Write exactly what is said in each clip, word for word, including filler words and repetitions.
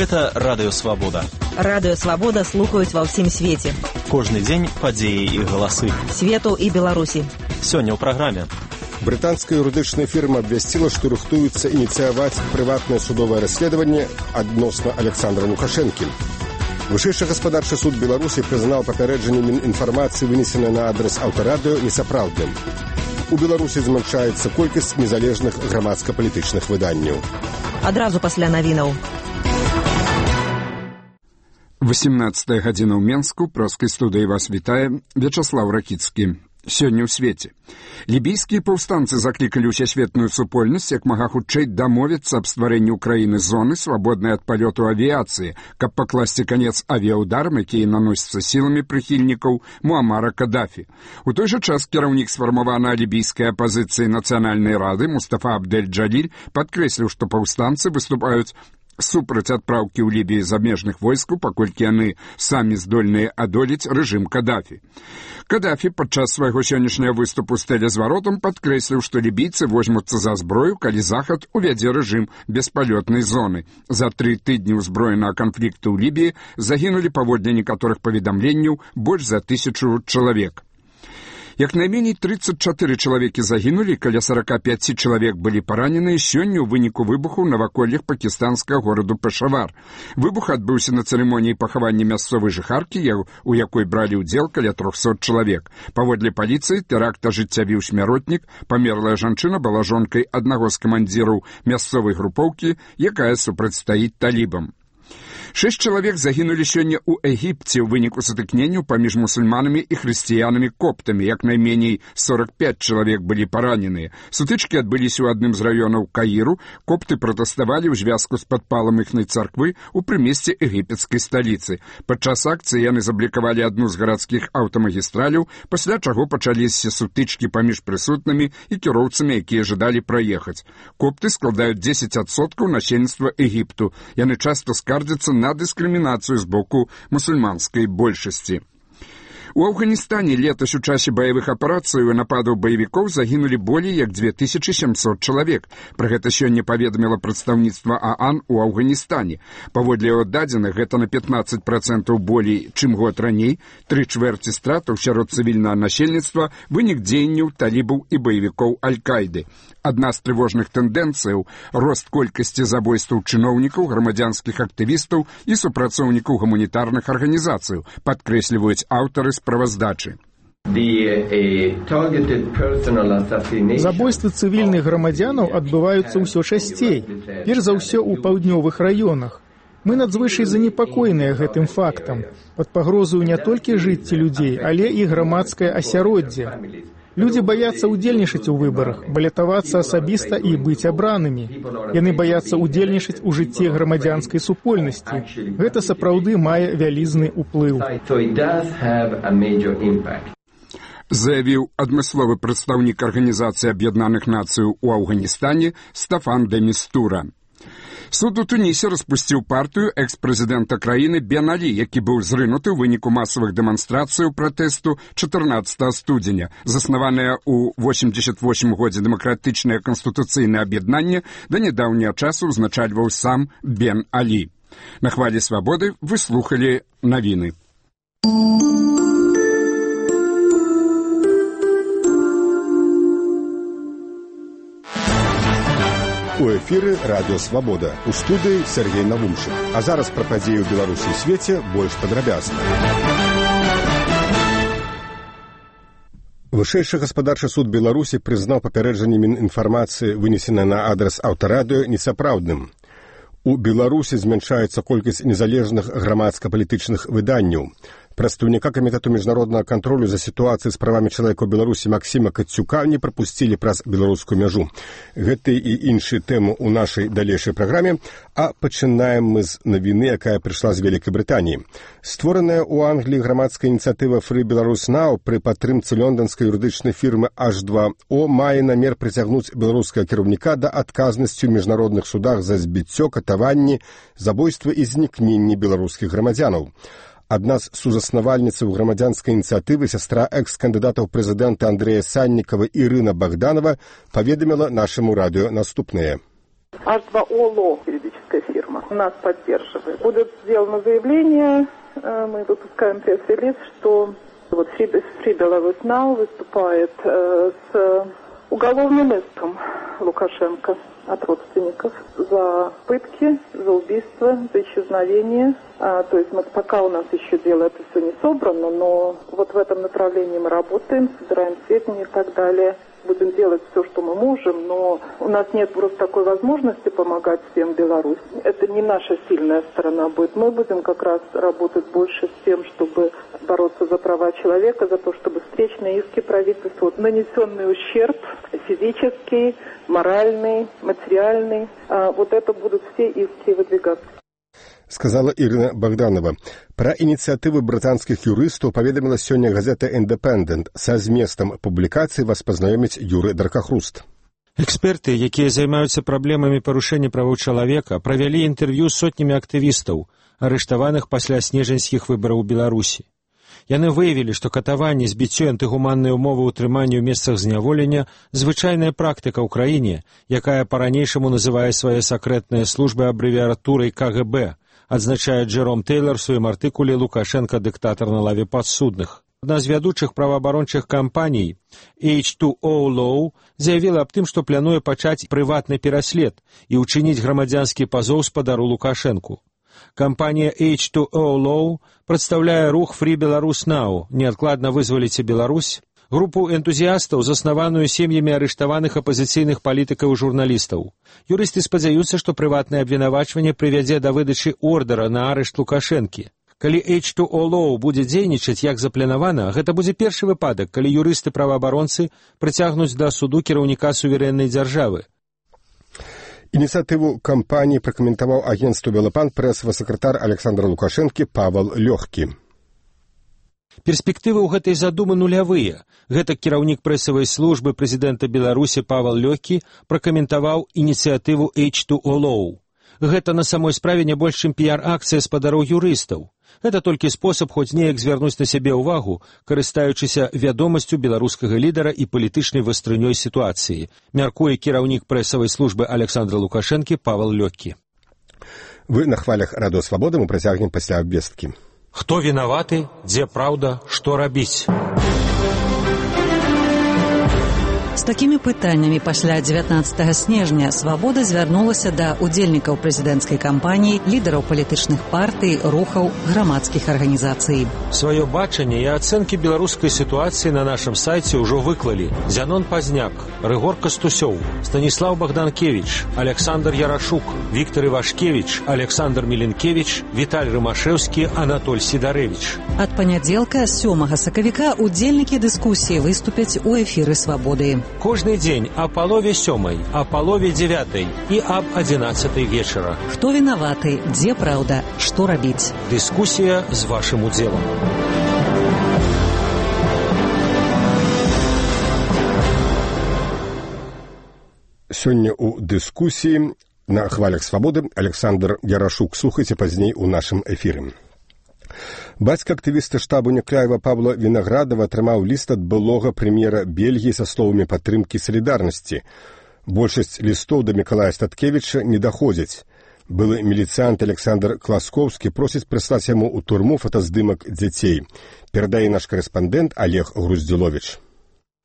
Гэта Радыё Свабода. Радыё Свабода слухаюць ва ўсім свеце. Кожны дзень падзеі і галасы. Свету і Беларусі. Сёння ў праграме. Брытанская юрыдычная фірма абвясціла, што рыхтуецца ініцыяваць прыватнае судовае расследаванне адносна Александра Лукашэнкі. Вышэйшы гаспадарчы суд Беларусі прызнаў папярэджанне Мінінфармацыі, вынесенае на адрас аўтарадыё, несапраўдным. У Беларусі змяншаецца колькасць незалежных грамадска-палітычных выданняў. Адразу пасля навінаў. восемнадцатая гадзіна ў Менску, проскай студыі вас вітае Вячаслаў Ракіцкі. Сёння ў свеце. Лібійскія паўстанцы заклікалі ўсесветную супольнасць як мага хутчэй дамовіцца аб стварэнні ў краіны зоны, свабоднай ад палёту авіяцыі, каб пакласці канец авіяўдарам, якія наносяцца сіламі прыхільнікаў Муамара Кадафі. У той жа час кіраўнік сфармаванай лібійскай апазіцыі Нацыянальнай рады Мустафа Абдель-Джаліль падкрэсліў, што паўстанцы выступаюць супраць адпраўкі ў Лібіі замежных войскаў, паколькі яны самі здольныя адолець рэжым Кадафі. Кадафі падчас свайго сённяшняга выступу з тэлезваротам падкрэсліў, што лібійцы возьмуцца за зброю, калі Захад увядзе рэжым беспалётнай зоны. За тры тыдні ўзброенага канфлікту ў Лібіі загінулі, паводле некаторых паведамленняў, больш за тысячу чалавек. Як найменей тридцать чатыры чалавекі загінулі, каля сорок пять чалавек былі параненыя сёння ў выніку выбуху ў наваколлях пакістанскага гораду Пешавар. Выбух адбыўся на цырымоніі пахавання мясцовай жыхаркі, у якой бралі ўдзел каля трохсот чалавек. Паводле паліцыі, тэракт ажыццявіў смяротнік, памерлая жанчына была жонкай аднаго з камандзіраў мясцовай групоўкі, якая супрацьстаіць талібам. Шэсць чалавек загінулі сёння ў Егіпце ў выніку сутыкненняў паміж мусульманамі і хрысціянамі-коптамі. Як найменей сорок пять чалавек былі параненыя. Сутычкі адбыліся ў адным з раёнаў Каіру. Копты пратэставалі ў звязку з падпалам іхнай царквы ў прымесце егіпецкай сталіцы. Падчас акцыі яны заблікавалі адну з гарадскіх аўтамагістраляў, пасля чаго пачаліся сутычкі паміж прысутнымі і кіроўцамі, якія жадалі праехаць. Копты складаюць дзесяць адсоткаў насельніцтва Егіпту. Яны часта скардзяцца на на дыскрымінацыю з боку мусульманскай большасці. У Афганістане летась у часе баявых аперацый і нападаў баевікоў загінулі болей як две тысячи семьсот чалавек. Пра гэта сёння паведаміла прадстаўніцтва ААН у Афганістане. Паводле яго дадзеных, гэта на пятнадцать процентаў болей, чым год раней. Тры чвэрці стратаў сярод цывільнага насельніцтва вынік дзеянняў талібаў і баевікоў Аль-Кайды. Адна з трывожных тэндэнцыяў – рост колькасці забойстваў чыноўнікаў, грамадзянскіх актывістаў і супрацоўнікаў гуманітарных арганізацыяў, падкрэсліваюць аўтары справаздачы. Забойствы цывільных грамадзянаў адбываюцца ўсё часцей, перш за ўсё ў паўднёвых раёнах. Мы надзвычай занепакоеныя гэтым фактам. Пад пагрозаю не толькі жыцці людзей, але і грамадскае асяроддзе. Людзі баяцца ўдзельнічаць у выбарах, балятавацца асабіста і быць абранымі. Яны баяцца ўдзельнічаць у жыцці грамадзянскай супольнасці. Гэта сапраўды мае вялізны ўплыў. Заявіў адмысловы прадстаўнік Арганізацыі Аб'яднаных Нацыяў у Афганістане Стафан де Містура. Суд у Тунісе распусціў партыю экс-прэзідэнта краіны Бен Алі, які быў зрынуты ў выніку масавых дэманстрацыяў пратэсту чатырнаццатага студзеня. Заснаванае ў восемьдесят восьмым годзе дэмакратычнае канстытуцыйнае аб'яднанне да нядаўняга часу ўзначальваў сам Бен Алі. На хвалі свабоды вы слухалі навіны. У эфіры Радыё Свабода. У студыі Сергей Навумчык. А зараз пра падзеі ў Беларусі і свеце больш падрабязна. Вышэйшы гаспадарчы суд Беларусі прызнаў папярэджанне Мінінфармацыі, вынесенае на адрас аўтарадыё, несапраўдным. У Беларусі змяншаецца колькасць незалежных грамадска-палітычных выданняў. Прадстаўніка камітэту міжнароднага кантролю за сітуацыяй з правамі чалавека ў Беларусі Максіма Кацюка не прапусцілі праз беларускую мяжу. Гэты і іншыя тэмы ў нашай далейшай праграме, а пачынаем мы з навіны, якая прыйшла з Вялікай Брытаніі. Створаная ў Англіі грамадская ініцыятыва Free Belarus Now пры падтрымцы лонданскай юрыдычнай фірмы эйч два о мае намер прыцягнуць беларускага кіраўніка да адказнасці ў міжнародных судах за збіццё, катаванні, забойства і знікненні беларускіх грамадзянаў. Адна з сузаснавальніцаў грамадзянскай ініцыятывы, сястра экс-кандыдата ў прэзідэнта Андрэя Саннікава Ірына Богданова, паведаміла нашаму радыё наступнае. эйч два о Law, юридическая фирма. нас поддерживает. Будет сделано заявление, мы выпускаем пресс-релиз, что вот Free Belarus Now выступает с уголовным иском Лукашенко от родственников за пытки, за убийство, за исчезновение. А, то есть мы, пока у нас еще дело это все не собрано, но вот в этом направлении мы работаем, собираем сведения и так далее. Будем делать все, что мы можем, но у нас нет просто такой возможности помогать всем в Беларуси. Это не наша сильная сторона будет. Мы будем как раз работать больше с тем, чтобы бороться за права человека, за то, чтобы встречные иски правительству, нанесенный ущерб физический, моральный, материальный, вот это будут все иски выдвигаться. Сказала Ірина Богданова. Пра ініцыятывы брытанскіх юрыстаў паведаміла сёння газета «Independent». Са зместам публікацыі вас пазнаёміць Юры Даркахруст. Эксперты, якія займаюцца праблемамі парушэння правоў чалавека, правялі інтэрв'ю з сотнямі актывістаў, арыштаваных пасля снежаньскіх выбараў у Беларусі. Яны выявілі, што катаванне, збіццё, антыгуманныя ўмовы ўтрымання ў месцах зняволення – звычайная практыка ў краіне, якая па-ранейшаму называе свае сакрэтныя службы абрэвіатурай ка гэ бэ, адзначае Джэром Тэйлар у сваім артыкуле «Лукашенко – дыктатар на лаве падсудных». Адна з вядучых праваабарончых кампаній эйч ту о Law заявіла аб тым, што плануе пачаць прыватны пераслед і ўчыніць грамадзянскі пазоў спадару Лукашэнку. Кампанія эйч ту о Law прадстаўляе рух Free Belarus Now, неадкладна вызваліце Беларусь, групу энтузіястаў, заснаваную сем'ямі арыштаваных апазіцыйных палітыкаў і журналістаў. Юрысты спадзяюцца, што прыватнае абвінавачванне прывядзе да выдачы ордара на арышт Лукашэнкі. Калі эйч ту о Law будзе дзейнічаць як запланавана, гэта будзе першы выпадак, калі юрысты-праваабаронцы прыцягнуць да суду кіраўніка суверэннай дзяржавы. Ініцыятыву кампаніі пракаментаваў агенцтву «Белапан» прэсавы сакратар Александра Лукашэнкі Павел Лёгкі. Перспектывы ў гэтай задумы нулявыя. Гэтак кіраўнік прэсавай службы прэзідэнта Беларусі Павел Лёгкі пракаментаваў ініцыятыву эйч ту о Law. Гэта на самой справе не больш чым піяр-акцыя спадароў юрыстаў. Гэта толькі спосаб хоць неяк звярнуць на сябе ўвагу, карыстаючыся вядомасцю беларускага лідара і палітычнай вастрынёй сітуацыі, мяркуе кіраўнік прэсавай службы Александра Лукашэнкі Павел Лёгкі. Вы на хвалях Радыё Свабода, мы працягнем пасля абвесткі. Хто вінаваты, дзе праўда, што рабіць? З такімі пытаннямі пасля дзевятнаццатага снежня «Свабода» звярнулася да удзельнікаў прэзідэнцкай кампаніі, лідараў палітычных партый, рухаў, грамадскіх арганізацый. Сваё бачанне і ацэнкі беларускай сітуацыі на нашым сайце ўжо выклалі Зянон Пазняк, Рыгор Кастусёў, Станіслаў Богданкевич, Александр Ярашук, Віктор Івашкевич, Александр Міленкевич, Віталь Рымашэўскі, Анатоль Сідарэвіч. Ад панядзелка сёмага сакавіка удзельнікі дыскусіі выступяць у эфіры «Свабоды». Кожны дзень а палове сёмай, а палове дзевятай і аб адзінаццатай вечара. Хто вінаваты, дзе праўда, што рабіць? Дыскусія з вашым удзелам. Сёння ў дыскусіі на хвалях Свабоды Александр Ярашук. Слухайце пазней у нашым эфіры. Бацька актывіста штабу Някляева Павла Вінаградова атрымаў ліст ад былога прэм'ера Бельгіі са словамі падтрымкі салідарнасці. Большасць лістоў да Мікалая Статкевіча не даходзяць. Былы міліцыянт Александр Класкоўскі просіць прыслаць яму ў турму фотаздымак дзяцей. Перадае наш карэспандэнт Олег Груздзіловіч.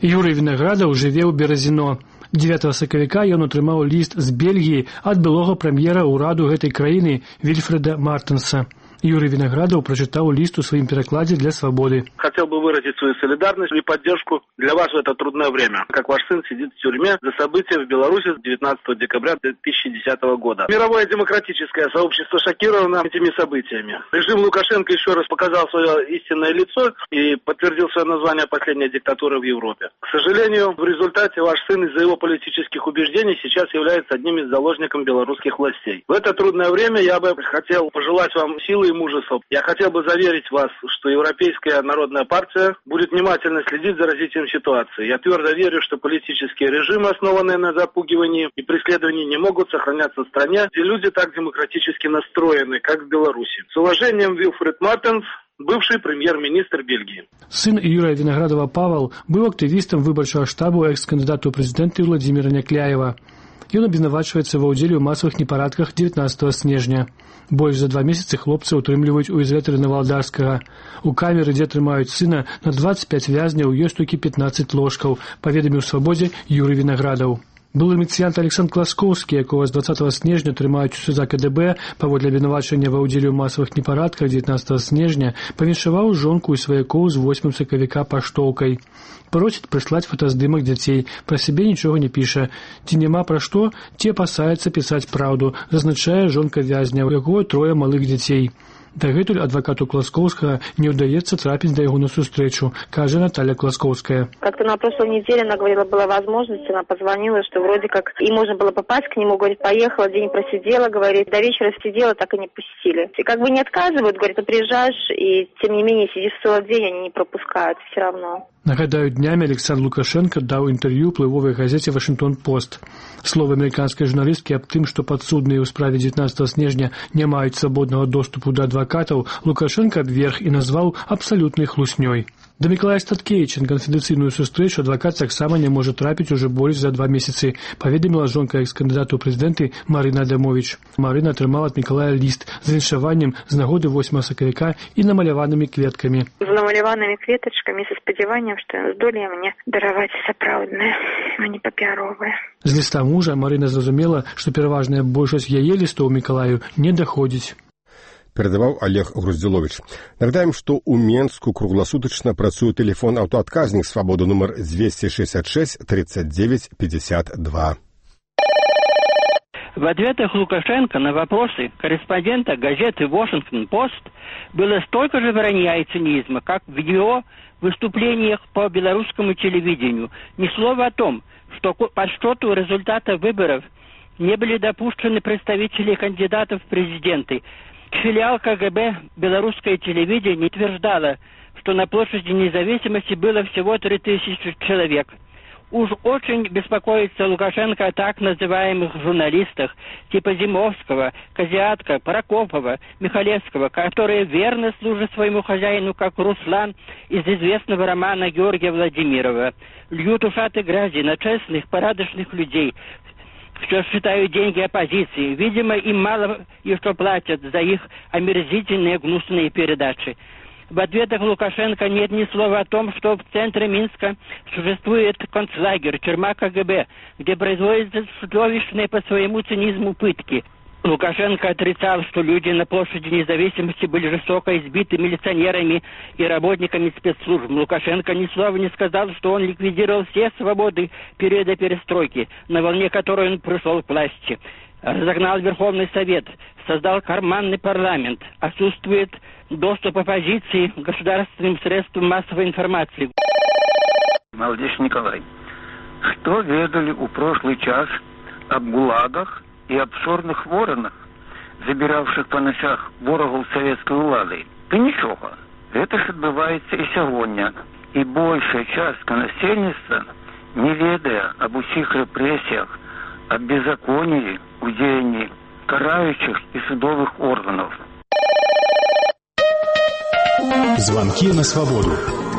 Юрый Вінаградаў жыве ў Беразіно. дзевятага сакавіка ён атрымаў ліст з Бельгіі ад былога прэм'ера ўраду гэтай краіны Вільфреда Мартенса. Юрий Виноградов прочитал лист в своем перекладе для «Свободы». Хотел бы выразить свою солидарность и поддержку для вас в это трудное время. Как ваш сын сидит в тюрьме за события в Беларуси девятнадцатого декабря две тысячи десятого года. Мировое демократическое сообщество шокировано этими событиями. Режим Лукашенко еще раз показал свое истинное лицо и подтвердил свое название «Последняя диктатура в Европе». К сожалению, в результате ваш сын из-за его политических убеждений сейчас является одним из заложников белорусских властей. В это трудное время я бы хотел пожелать вам силы и мужества. Я хотел бы заверить вас, что Европейская народная партия будет внимательно следить за развитием ситуации. Я твердо верю, что политические режимы, основанные на запугивании и преследовании, не могут сохраняться в стране, где люди так демократически настроены, как в Беларуси. С уважением, Вильфред Мартенс, бывший премьер-министр Бельгии. Сын Юрия Виноградова Павел был активистом выборчего штаба экс-кандидата в президенты Владимира Някляева. Ён абвінавачваецца ва ўдзеле ў масавых непарадках дзевятнаццатага снежня. Больш за два месяцы хлопца ўтрымліваюць у ізалятары Навалдарскага. У камеры, дзе трымаюць сына, на дваццаць пяць вязняў ёсць толькі пятнаццаць ложкаў, паведаміў Свабодзе Юрый Вінаградаў. Былы міліцыянт Александр Класкоўскі, якога з дваццатага снежня трымаюць у СЗК КДБ паводле абвінавачання ва ўдзеле ў масавых непарадках дзевятнаццатага снежня, павіншаваў жонку і сваякоў з восьмым сакавіка паштоўкай. Просіць прыслаць фотаздымак дзяцей, пра сябе нічога не піша. Ці няма пра што, ці апасаецца пісаць праўду, зазначае жонка вязня, у якой трое малых дзяцей. Дагэтуль адвакату Класкоўскага не ўдаецца трапіць да яго на сустрэчу, кажа Наталья Класкоўская. Как-то на прошлой неделе она говорила, была возможность, она позвонила, что вроде как и можно было попасть к нему, говорит, поехала, день просидела, говорит, до вечера сидела, так и не пустили. И как бы не отказывают, говорит, ты приезжаешь, и тем не менее сидишь целый день, они не пропускают все равно. Нагадаю, днями Александр Лукашенко даў інтэрв'ю ўплывовай газете «Вашингтон-Пост». Словы амерыканскай журналісткі аб тым, што падсудныя ў справе дзевятнаццатага снежня не маюць свабоднага доступу да адвакатаў, Лукашенко абверг і назваў абсалютнай хлуснёй. Да Мікалая Статкевіча на канфідэнцыйную сустрэчу адвакат таксама не можа трапіць ужо больш за два месяцы, паведаміла жонка экс-кандыдата ў прэзідэнты Марына Адамовіч. Марына атрымала ад Мікалая ліст з віншаваннем з нагоды восьмага сакавіка і намаляванымі кветкамі. З намаляванымі кветачкамі са спадзяваннем, што ён здолее мне дараваць сапраўднае, а не папяровае. З ліста мужа Марына зразумела, што пераважная большасць яе лістоў Мікалаю не даходзіць. Перадаваў Олег Груздзіловіч. Нагадаем, што ў Менску кругласутачна працуе тэлефон аўтаадказнік «Свабода» нумар двести шестьдесят шесть тридцать девять пятьдесят два. В ответах Лукашенко на вопросы корреспондента газеты «Вашингтон-Пост» было столько же вранья и цинизма, как в его выступлениях по белорусскому телевидению. Ни слова о том, что по подсчету результата выборов не были допущены представители кандидатов в президенты. Филиал КГБ «Белорусское телевидение» утверждало, что на площади Независимости было всего три тысячи человек. Уж очень беспокоится Лукашенко о так называемых журналистах типа Зимовского, Козиатка, Прокопова, Михалевского, которые верно служат своему хозяину, как Руслан из известного романа Георгия Владимирова. Льют ушаты грязи на честных, порядочных людей. Что считают деньги оппозиции. Видимо, им мало еще платят за их омерзительные гнусные передачи. В ответах Лукашенко нет ни слова о том, что в центре Минска существует концлагерь, тюрьма КГБ, где производятся чудовищные по своему цинизму пытки. Лукашенко отрицал, что люди на площади Независимости были жестоко избиты милиционерами и работниками спецслужб. Лукашенко ни слова не сказал, что он ликвидировал все свободы периода перестройки, на волне которой он пришел к власти. Разогнал Верховный Совет, создал карманный парламент, отсутствует доступ оппозиции к государственным средствам массовой информации. Молодец Николай, что ведали у прошлый час об гулагах и абсурдных воронах, забиравших по ночах ворогов советской улады? Да ничего. Это ж отбывается и сегодня. И большая часть насельница, не ведая об усих репрессиях, об беззаконии, удеянии карающих и судовых органов. Звонки на свободу.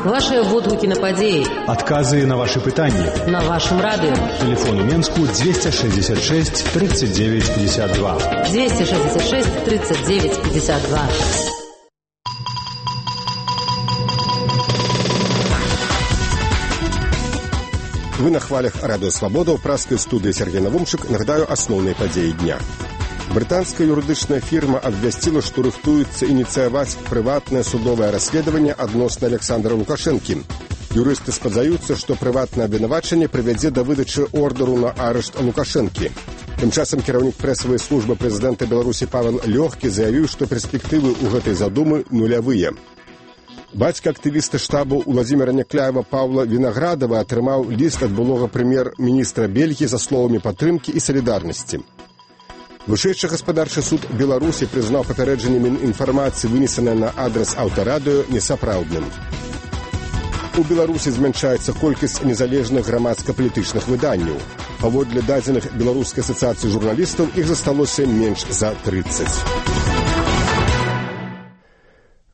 Ваши водгуки на падеи. Отказы на ваши пытания. На вашем радио. Телефон у Менску двести шестьдесят шесть тридцать девять пятьдесят два. двести шестьдесят шесть тридцать девять пятьдесят два. Вы на хвалях радио «Свобода» в праской студии Сергей Навумчик. Нагадаю основные подеи дня. Британская юридичная фирма обвестила, что рыхтуется инициировать приватное судовое расследование относно Александра Лукашенки. Юристы спадзаюцца, что приватное обвинувачение приведет до выдачи ордеру на арешт Лукашенки. Тем часом кіраўнік прэсавай службы президента Беларуси Павел Лёгкі заявил, что перспективы у этой задумы нулявые. Бацька актывіста штабу Владимира Някляева Павла Вінаградава атрымаў ліст ад былога прэм'ер-міністра Бельгіі за словамі падтрымкі і салідарнасці. Вышэйшы гаспадарчы суд Беларусі прызнаў папярэджанне Мінінфармацыі, вынесенае на адрас аўтарадыё, несапраўдным. У Беларусі змяншаецца колькасць незалежных грамадска-палітычных выданняў. Паводле дадзеных Беларускай асацыяцыі журналістаў іх засталося менш за тридцать.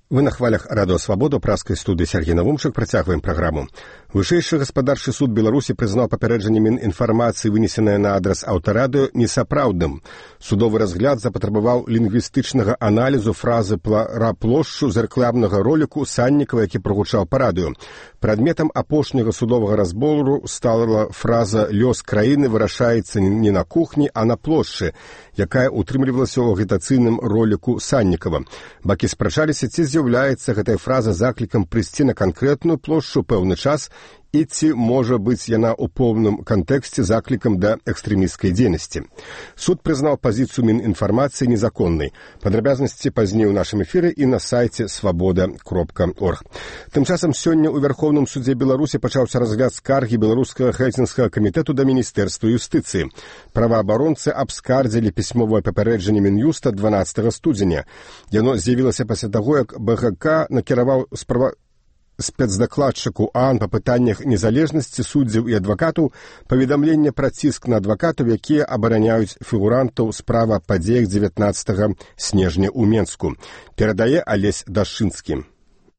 Вы на хвалях радио «Свобода», праской студии Сергей Навумчик. Працягваем программу. Вышэйшы гаспадарчы суд Беларусі прызнаў папярэджанне Мінінфармацыі, вынесенае на адрас аўтарадыё, несапраўдным. Судовы разгляд запатрабаваў лінгвістычнага аналізу фразы пра плошчу з рэкламнага роліку Саннікава, які прагучаў па радыё. Прадметам апошняга судовага разбору стала фраза «Лёс краіны вырашаецца не на кухні, а на плошчы», якая утрымлівалася ў агітацыйным роліку Саннікава. Бакі спрачаліся, ці з'яўляецца гэтая фраза заклікам прыйсці на канкрэтную плошчу пэўны час і ці можа быць яна ў поўным кантэксце заклікам да экстрэмісцкай дзейнасці. Суд прызнаў пазіцыю Мінінфармацыі незаконнай. Падрабязнасці пазней у нашым эфіры і на сайце свабода кропка орг. Тым часам сёння ў Вярхоўным судзе Беларусі пачаўся разгляд скаргі беларускага Хельсінскага камітэту да Міністэрства юстыцыі. Праваабаронцы абскардзілі пісьмовае папярэджанне Мін'юста дванаццатага студзеня. Яно з'явілася пасля таго, як БГК накіраваў справа спецдакладчыку ААН па пытаннях незалежнасці суддзяў і адвакатаў паведамленне пра ціск на адвакатаў, якія абараняюць фігурантаў справа падзеях дзевятнаццатага снежня ў Менску. Перадае Алесь Дашынскі.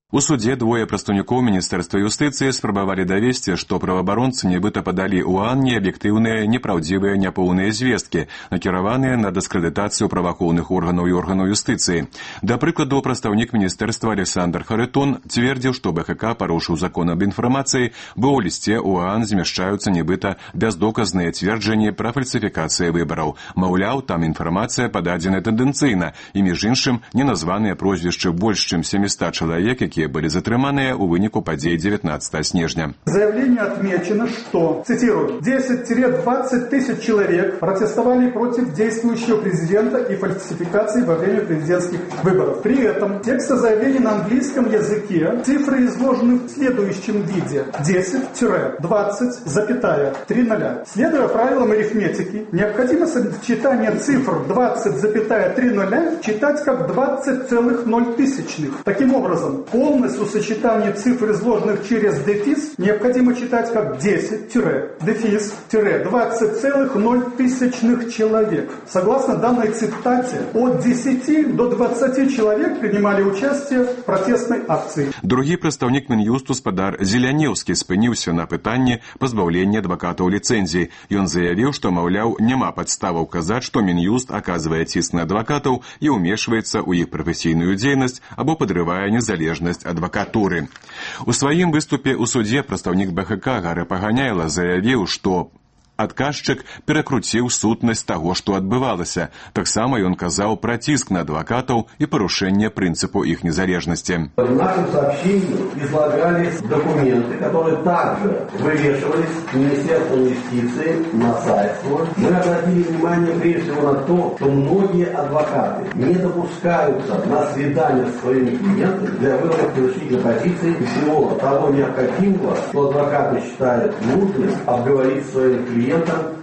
У суде двое прадстаўнікоў Міністэрства юстыцыі спрабавалі давесці, што праваабаронцы нібыта падалі ў ААН неаб'ектыўныя, непраўдзівыя, няпоўныя звесткі, накіраваныя на дыскрэдытацыю праваахоўных органаў і органаў юстыцыі. Да прыкладу, прадстаўнік міністэрства Александр Харытон цвердзіў, што БХК парушыў закон аб інфармацыі, бо ў лісце ў ААН змяшчаюцца нібыта бяздоказныя цверджанні пра фальсіфікацыі выбараў. Маўляў, там інфармацыя пададзена тэндэнцыйна, і між іншым неназваныя прозвішчы больш чым семьсот чалавек, які были затрыманыя у выніку падзей девятнадцатого снежня. В заявлении отмечено, что, цитирую, десять-двадцать тысяч человек протестовали против действующего президента и фальсификации во время президентских выборов. При этом текст заявления на английском языке цифры изложены в следующем виде. десять-двадцать три нуля. Следуя правилам арифметики, необходимо сочетание цифр двадцать три нуля читать как двадцать целых ноль тысячных. Таким образом, полностью сочетание цифр, изложенных через дефис, необходимо читать как десять-дефис-двадцать целых ноль тысячных человек. Согласно данной цитате, от десяти до двадцати человек принимали участие в протестной акции. Другі прадстаўнік Мін'юсту спадар Зелянеўскі спыніўся на пытанні пазбаўлення адвакатаў ліцэнзіі. Ён заявіў, што, маўляў, няма падставаў казаць, што Мін'юст аказвае ціск на адвакатаў і ўмешваецца ў іх прафесійную дзейнасць або падрывае незалежнасць адвакатуры. У сваім выступе ў судзе прадстаўнік БХК Гара Паганяйла заявіў, што адказчык перакруціў сутнасць таго, што адбывалася. Таксама ён казаў пра ціск на адвакатаў і парушэнне прынцыпу іх незалежнасці. В нашем сообщении излагались документы, которые также вывешивались Министерством юстиции на сайт. Мы обратили внимание прежде всего на то, что многие адвокаты не допускаются на свидания с своими клиентами для выработки решительной позиции и всего того необходимого, что адвокаты считают нужным обговорить с своими клиентами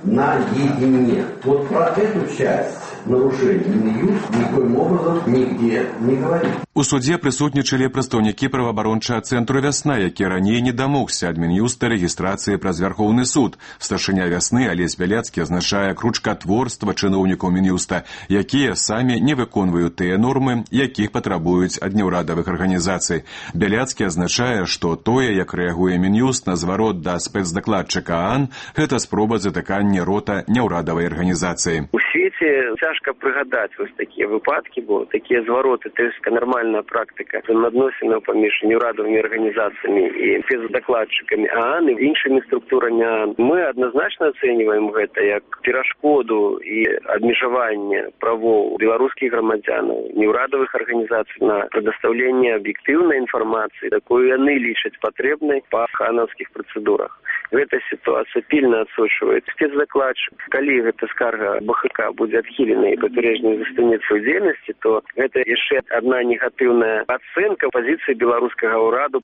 наедине. Вот про эту часть нарушений Мін'юст никоим образом нигде не говорит. У судзе прысутнічалі прадстаўнікі праваабарончага цэнтру «Вясна», які раней не дамогся ад Мін'юста рэгістрацыі праз Вярхоўны суд. Старшыня «Вясны» Алесь Бяляцкі азначае кручкатворства чыноўнікаў Мін'юста, якія самі не выконваюць тыя нормы, якіх патрабуюць ад няўрадавых арганізацый. Бяляцкі азначае, што тое, як рэагуе Мін'юст на зварот да спецдакладчыка ААН, гэта спроба затыкання рота няўрадавай арганізацыі. У свеце цяжка прыгадаць вось такія выпадкі, бо такія звароты, то есть нармальная практыка взаимоотносінаў паміж неўрадавымі арганізацыямі і спецдакладчыкамі ААН і іншымі структурамі ААН. Мы адназначна ацэньваем гэта як перашкоду і абмежаванне правоў беларускіх грамадзянаў, неўрадавых арганізацый на прадастаўленне аб'ектыўнай інфармацыі, такую яны лічаць патрэбнай па ханаўскіх працэдурах. Гэта сітуацыя пільна адсочвае спецдакладчык. Калі гэта скарга БХК будзе адхілена і папярэджанне застанецца ў дзейнасці, то гэта яшчэ адна негатыўная ацэнка пазіцыі беларускага ўраду.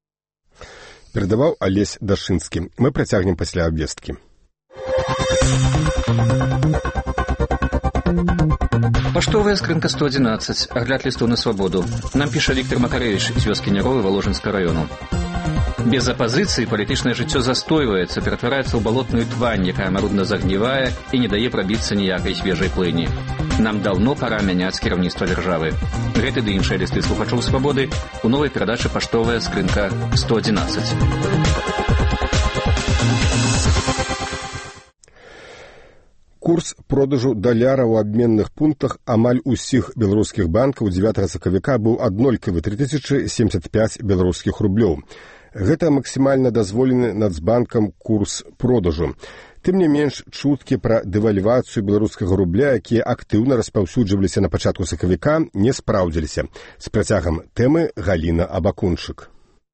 Перадаваў Алесь Дашынскі. Мы працягнем пасля абвесткі. Паштовая скрынка сто одиннадцать. Агляд листов на свободу. Нам піша Віктор Макаревич з вёскі Няровы Воложенскага району. Без апозіцыі палітычнае жыццё застойваецца, ператвараецца ў балотную твань, якая марудна загнівае і не дае прабіцца ніякай свежай плыні. Нам даўно пара мяняць кіраўніцтва дзяржавы. Гэты ды іншыя лісты слухачоў свабоды ў новай перадачы «Паштовая скрынка сто одиннадцать». Курс продажу даляра ў абменных пунктах амаль усіх беларускіх банкаў дзевятага сакавіка быў аднолькавы тры тысячы семьдесят пять беларускіх рублёў. Гэта максімальна дазволены Нацбанкам курс продажу. Тым не менш, чуткі пра дэвальвацыю беларускага рубля, якія актыўна распаўсюджваліся на пачатку сакавіка, не спраўдзіліся. З працягам тэмы Галіна Абакунчык.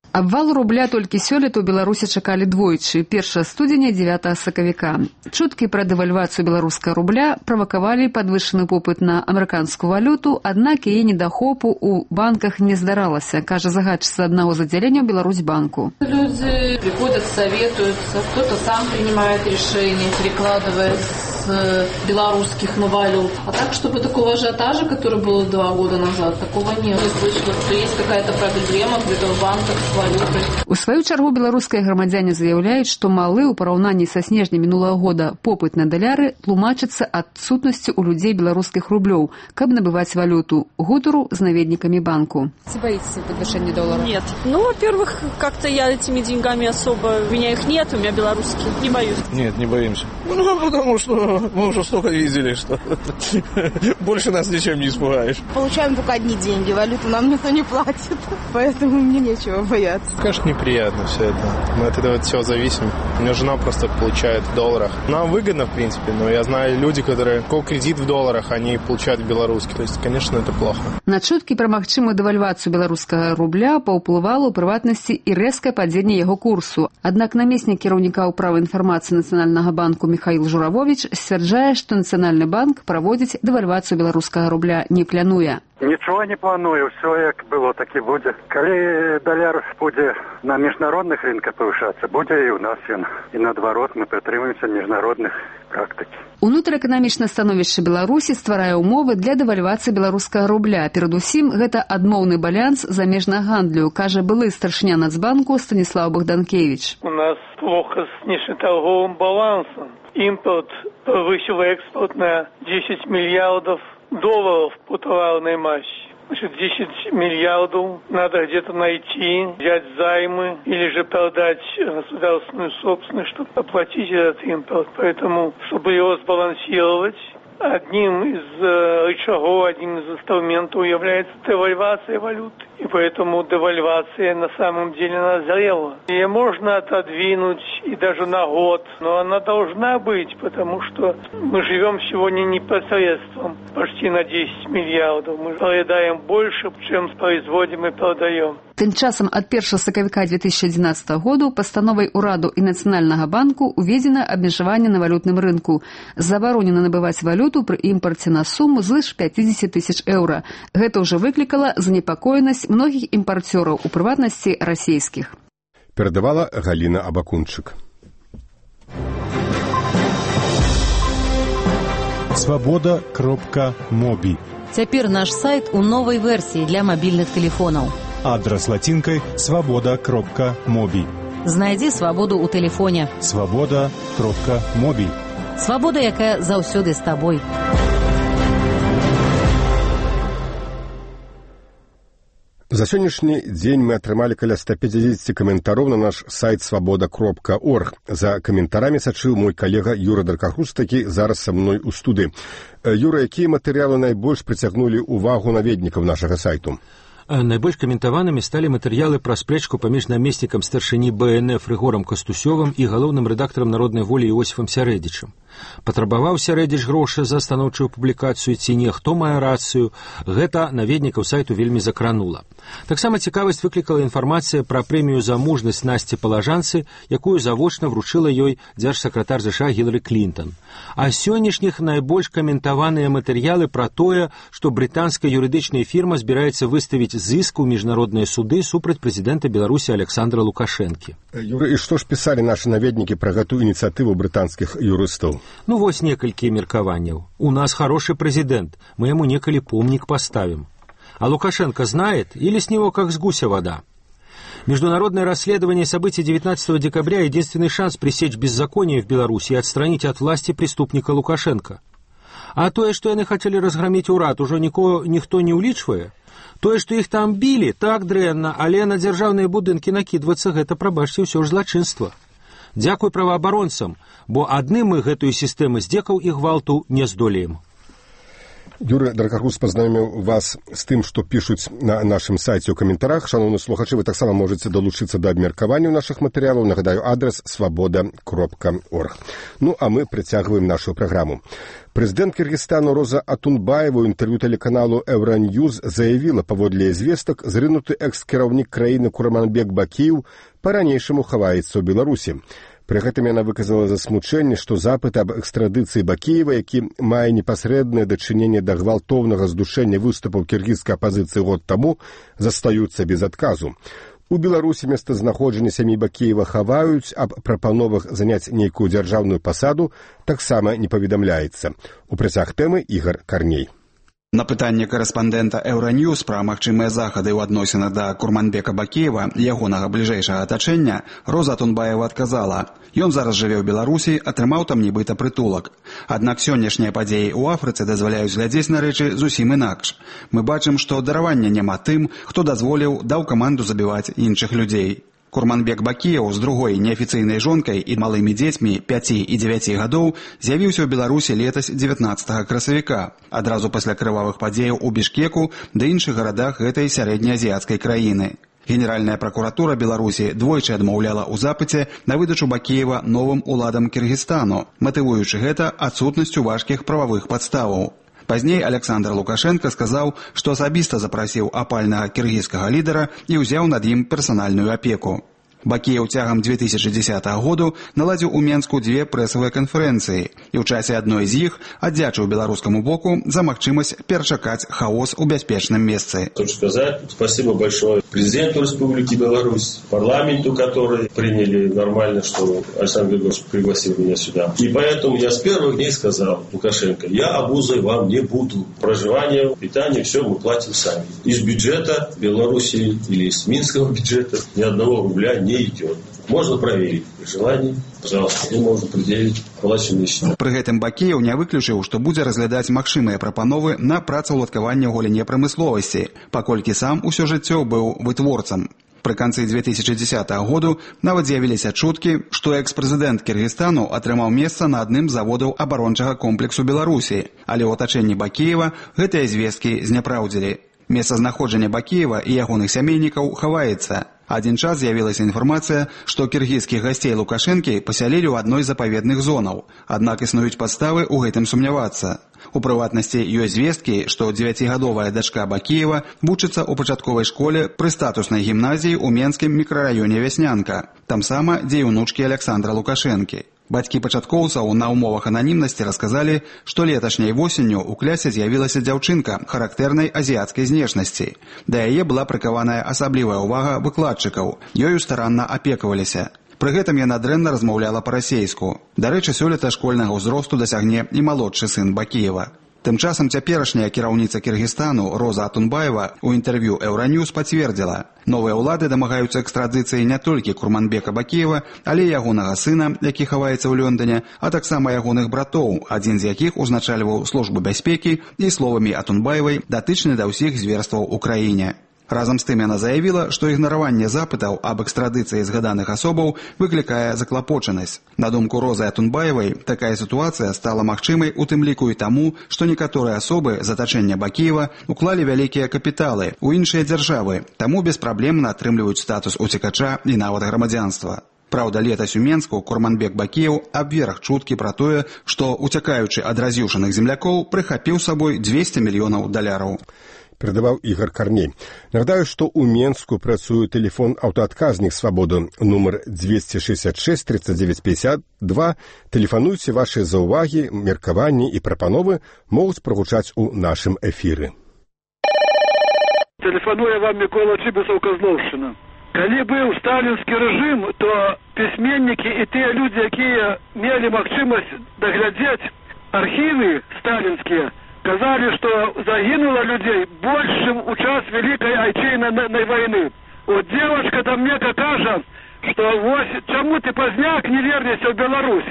Абвал рубля толькі сёлета ў Беларусі чакалі двойчы, першага студзеня, дзевятага сакавіка. Чуткі пра дэвальвацыю беларускага рубля правакавалі падвышаны попыт на амерыканскую валюту, аднак яе недахопу ў банках не здаралася, кажа загадчыца аднаго з аддзяленняў Беларусьбанку. Люди приходят, советуются, кто-то сам принимает решение, перекладывая с белорусских на валют. А так, чтобы такого ажиотажа, который был два года назад, такого нет. Я слышала, что есть какая-то проблема где-то в банках с валютой. У сваю чаргу беларускія грамадзяне заяўляюць, што малы ў параўнанні са снежня мінулага года попыт на даляры тлумачыцца адсутнасцю у людзей беларускіх рублёў, каб набываць валюту. Гутару з наведнікамі банку. Вы боитесь подвышения доллара? Нет. Ну, во-первых, как-то я этими деньгами особо... У меня их нет, у меня белорусские. Не боюсь. Нет, не боимся. Ну, потому что мы уже столько видели, что больше нас ничем не испугаешь. Получаем только одни деньги, валюту нам никто не платит, поэтому мне нечего бояться. Конечно, неприятно все это. Мы от этого всего зависим. У меня жена просто получает в долларах. Нам выгодно, в принципе, но я знаю люди, которые кол кредит в долларах, они получают в белорусских. То есть, конечно, это плохо. На чуткі пра магчымую дэвальвацыю беларускага рубля паўплывала ў прыватнасці і рэзкае падзенне яго курсу. Аднак намеснік кіраўніка ўправы інфармацыі Нацыянальнага банку Михаил Журавович сцвярджае, што Нацыянальны банк праводзіць дэвальвацыю беларускага рубля не плануе. Нічого не планую, все як было, так і будзе. Калі даляр будзе на міжнародных рынках павышацца, будзе і ў нас ён. І наадварот мы прытрымаемся міжнародных практык. Унутраэканамічнае становішча Беларусі стварае ўмовы для дэвальвацыі беларускага рубля. Перадусім, гэта адмоўны баланс замежнага гандлю, кажа былы старшыня Нацбанку Станіслав Богданкевич. У нас плохо с внешнеторговым балансом. Импорт превысил экспорт на десять миллиардов долларов по товарной массе. Значит, десять миллиардов надо где-то найти, взять займы или же продать государственную собственность, чтобы оплатить этот импорт. Поэтому, чтобы его сбалансировать, одним из рычагов, одним из инструментов является девальвация валюты. И поэтому девальвация на самом деле назрела. Ее можно отодвинуть и даже на год, но она должна быть, потому что мы живем сегодня не посредством почти на десять миллиардов. Мы проедаем больше, чем производим и продаем. Тым часам ад першага сакавіка две тысячи одиннадцатого году пастановай ураду і Нацыянальнага банку уведзена абмежаванне на валютным рынку. Забаронена набываць валюту пры імпарце на суму звыш пятьдесят тысяч еўра. Гэта ўжо выклікала занепакоенасць многіх імпарцёраў, у прыватнасці расійскіх. Перадавала Галіна Абакунчык. свобода кропка моби. Цяпер наш сайт у новай версіі для мабільных тэлефонаў. Адрес латинкой свобода кропка моби. Знайдзі свабоду ў тэлефоне. свобода кропка моби. Свабода, якая заўсёды з табой. За сённяшні дзень мы атрымалі каля ста пятьдесят каментароў на наш сайт свобода кропка орг. За каментарамі сачыў мой калега Юра Даркахус, такі зараз са мной у студыі. Юра, якія матэрыялы найбольш прыцягнулі ўвагу наведнікаў нашага сайту? Найбольш каментаванымі сталі матэрыялы пра спрэчку паміж намеснікам старшыні бэ эн эф Рыгорам Кастусёвым і галоўным рэдактарам народнай волі Іосіфам Сярэдзічам. Патрабаваў Сярэдзіч грошы за станоўчую публікацыю ці не, хто мае рацыю, гэта наведнікаў сайту вельмі закранула. Таксама цікавасць выклікала інфармацыя пра прэмію за мужнасць Насці Палажанцы, якую завочна вручыла ёй дзяржсакратар ЗША Гілары Клінтон. А сённяшніх найбольш каментаваныя матэрыялы пра тое, што брытанская юрыдычная фірма збіраецца выставіць зыск у міжнародныя суды супраць прэзідэнта Беларусі Александра Лукашэнкі. Юра, і што ж пісалі нашы наведнікі пра гэтую ініцыятыву брытанскіх юрыстаў? Ну, вось некалькі меркаванняў. У нас хороший президент, мы ему неколи помник поставим. А Лукашенко знает или с него как с гуся вода? Международное расследование событий девятнадцатого декабря – единственный шанс пресечь беззаконие в Беларуси и отстранить от власти преступника Лукашенко. А тое, что яны хотели разгромить урад, уже никого, никто не улічвае. Тое, что их там били, так дрэнна, але на дзяржаўныя будынкі накидываться, гэта, прабачьте, ўсё ж злачынства. Дзякуй праваабаронцам, бо адным мы гэтую сістэму здзекаў і гвалту не здолеем. Юрий Дракарус пазнаёміў вас з тым, што пішуць на нашым сайце ў каментарах. Шановны слухачы, вы таксама можаце далучыцца да абмеркавання нашых матэрыялаў. Нагадаю, адрес свабода кропка орг. Ну, а мы працягваем нашу праграму. Прэзідэнт Кыргызстану Роза Атунбаева ў інтэрв'ю тэлеканалу Еўраньюз заявіла, паводле звестак, зрынуты экс-кіраўнік краіны Курманбек Бакіев па-ранейшаму хаваецца ў Беларусі. Пры гэтым яна выказала засмучэнне, што запыт аб экстрадыцыі Бакіева, які мае непасрэднае дачыненне да гвалтоўнага здушэння выступаў кіргізскай апазіцыі год таму, застаюцца без адказу. У Беларусі месцазнаходжанне сям'і Бакіева хаваюць, аб прапановах заняць нейкую дзяржаўную пасаду таксама не паведамляецца. У працяг тэмы Ігар Карней. На пытанне корэспандэнта Еўраньюз пра магчымыя захады ў адносінах да Курманбека Бакіева і ягонага бліжэйшага атачэння Роза Атунбаева адказала: «Ён зараз жыве ў Беларусі, атрымаў там нібыта прытулак. Аднак сённяшнія падзеі ў Афрыцы дазваляюць глядзець на рэчы зусім інакш. Мы бачым, што даравання няма тым, хто дазволіў, даў каманду забіваць іншых людзей». Курманбек Бакіев з другой неафіцыйнай жонкай і малымі дзецьмі пяці і дзевяці гадоў з'явіўся ў Беларусі летась дзевятнаццатага красавіка, адразу пасля крывавых падзеяў у Бішкеку ды іншых гарадах гэтай сярэднеазіяцкай краіны. Генеральная пракуратура Беларусі двойчы адмаўляла ў запыце на выдачу Бакіева новым уладам Кыргызстану, матывуючы гэта адсутнасцю важкіх прававых падставаў. Пазней Александр Лукашенко сказаў, што асабіста запрасіў апальнага кіргізскага лідара і ўзяў над ім персанальную апеку. Бакіев цягам две тысячи дзесятага году наладзіў у Менску дзве прэсавыя канферэнцыі і ў часе адной з іх аддзячыў беларускаму боку за магчымасць перачакаць хаос у бяспечным месцы. Хочу сказать спасибо большое президенту Республики Беларусь, парламенту, который приняли нормально, что Александр Григорьевич пригласил меня сюда. И поэтому я с первых дней сказал Лукашенко: я обузой вам не буду. Проживание, питание, все мы платим сами. Из бюджета Беларуси или из минского бюджета ни одного рубля не не идет. Можно проверить. При желании, пожалуйста, мы можем предъявить оплаченные счета. Пры гэтым Бакіев не выключыў, што будзе разглядаць магчымыя прапановы на працаўладкаванне ў галіне прамысловасці, паколькі сам усё жыццё быў вытворцам. Пры канцы две тысячи дзесятага году нават з'явіліся чуткі, што экс-прэзідэнт Кыргызстану атрымаў месца на адным з заводаў абарончага комплексу Беларусі, але ў атачэнні Бакіева гэтыя звесткі зняпраўдзілі. Месцазнаходжанне Бакіева і ягоных сямейнікаў хаваецца. Адзін час з'явілася інфармацыя, што кіргізскіх гасцей Лукашэнкі пасялілі ў адной з запаведных зонаў, аднак існуюць падставы ў гэтым сумнявацца. У прыватнасці ёсць звесткі, што дзевяцігадовая дачка Бакіева вучыцца ў пачатковай школе пры статуснай гімназіі ў менскім мікрараёне Вяснянка, там сама, дзе і ўнучкі Александра Лукашэнкі. Бацькі пачаткоўцаў на ўмовах ананімнасці расказалі, што леташняй восенню ў клясе з'явілася дзяўчынка характэрнай азіяцкай знешнасці. Да яе была прыкаваная асаблівая ўвага выкладчыкаў, ёю старанна апекаваліся. Пры гэтым яна дрэнна размаўляла па-расейску. Дарэчы, сёлета школьнага ўзросту дасягне і малодшы сын Бакіева. Тым часам цяперашняя кіраўніца Кыргызстану Роза Атунбаева у інтэрв'ю Еўраньюз пацвердзіла: новыя ўлады дамагаюцца экстрадыцыі не толькі Курманбека Бакіева, але і ягонага сына, які хаваецца ў Лондоне, а таксама ягоных братоў, адзін з якіх узначальваў службу бяспекі і, словамі Атунбаевай, датычны да ўсіх зверстваў у краіне. Разам з тым яна заявіла, што ігнараванне запытаў аб экстрадыцыі згаданых асобаў выклікае заклапочанасць. На думку Розы Атунбаевай, такая сітуацыя стала магчымай у тым ліку і таму, што некаторыя асобы з атачэння Бакіева уклалі вялікія капіталы ў іншыя дзяржавы, таму беспраблемна атрымліваюць статус уцекача і нават грамадзянства. Праўда, летась у Менску Курманбек Бакіев абверг чуткі пра тое, што, уцякаючы ад раз'юшаных землякоў, прыхапіў сабой двести мільёнаў даляраў. Передаваў Ігар Карней. Нагадаю, што ў Менску працуе тэлефон аўтаадказнік «Свабода» нумар двести шестьдесят шесть тридцать девять пятьдесят два. Тэлефануйце, вашыя заўвагі, меркаванні і прапановы могуць прагучаць у нашым эфіры. Тэлефануе вам Мікола Чыбісаў, Казлоўшчына. Калі быў сталінскі рэжым, то пісьменнікі і тыя людзі, якія мелі магчымасць даглядзець архівы сталінскія, сказали, что загинуло людей больше, чем у час Великой Отечественной войны. Вот девушка-то мне кажет, что вот чему ты, Поздняк, не вернешься в Беларусь?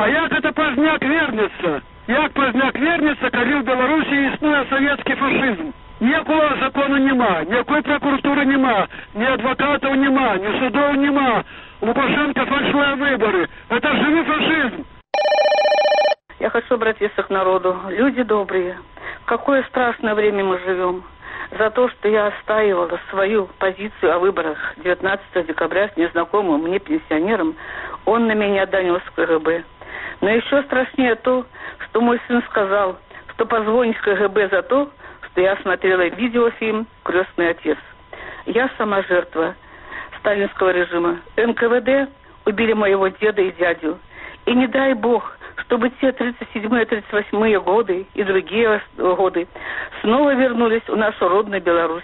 А як это Поздняк вернется? Як Поздняк вернется, коли в Беларуси існує советский фашизм? Ніякого закону нема, ніякої прокуратури нема, ні адвокатів нема, ні судов нема. Лукашенко фальшивые выборы. Это живой фашизм. Я хочу обратиться к народу. Люди добрые, в какое страшное время мы живем. За то, что я отстаивала свою позицию о выборах девятнадцатого декабря с незнакомым мне пенсионером, он на меня донес в КГБ. Но еще страшнее то, что мой сын сказал, что позвонит в КГБ за то, что я смотрела видеофильм «Крестный отец». Я сама жертва сталинского режима. эн ка вэ дэ убили моего деда и дядю. И не дай бог, чтобы те тридцать седьмые тридцать восьмые годы и другие годы снова вернулись в нашу родную Беларусь.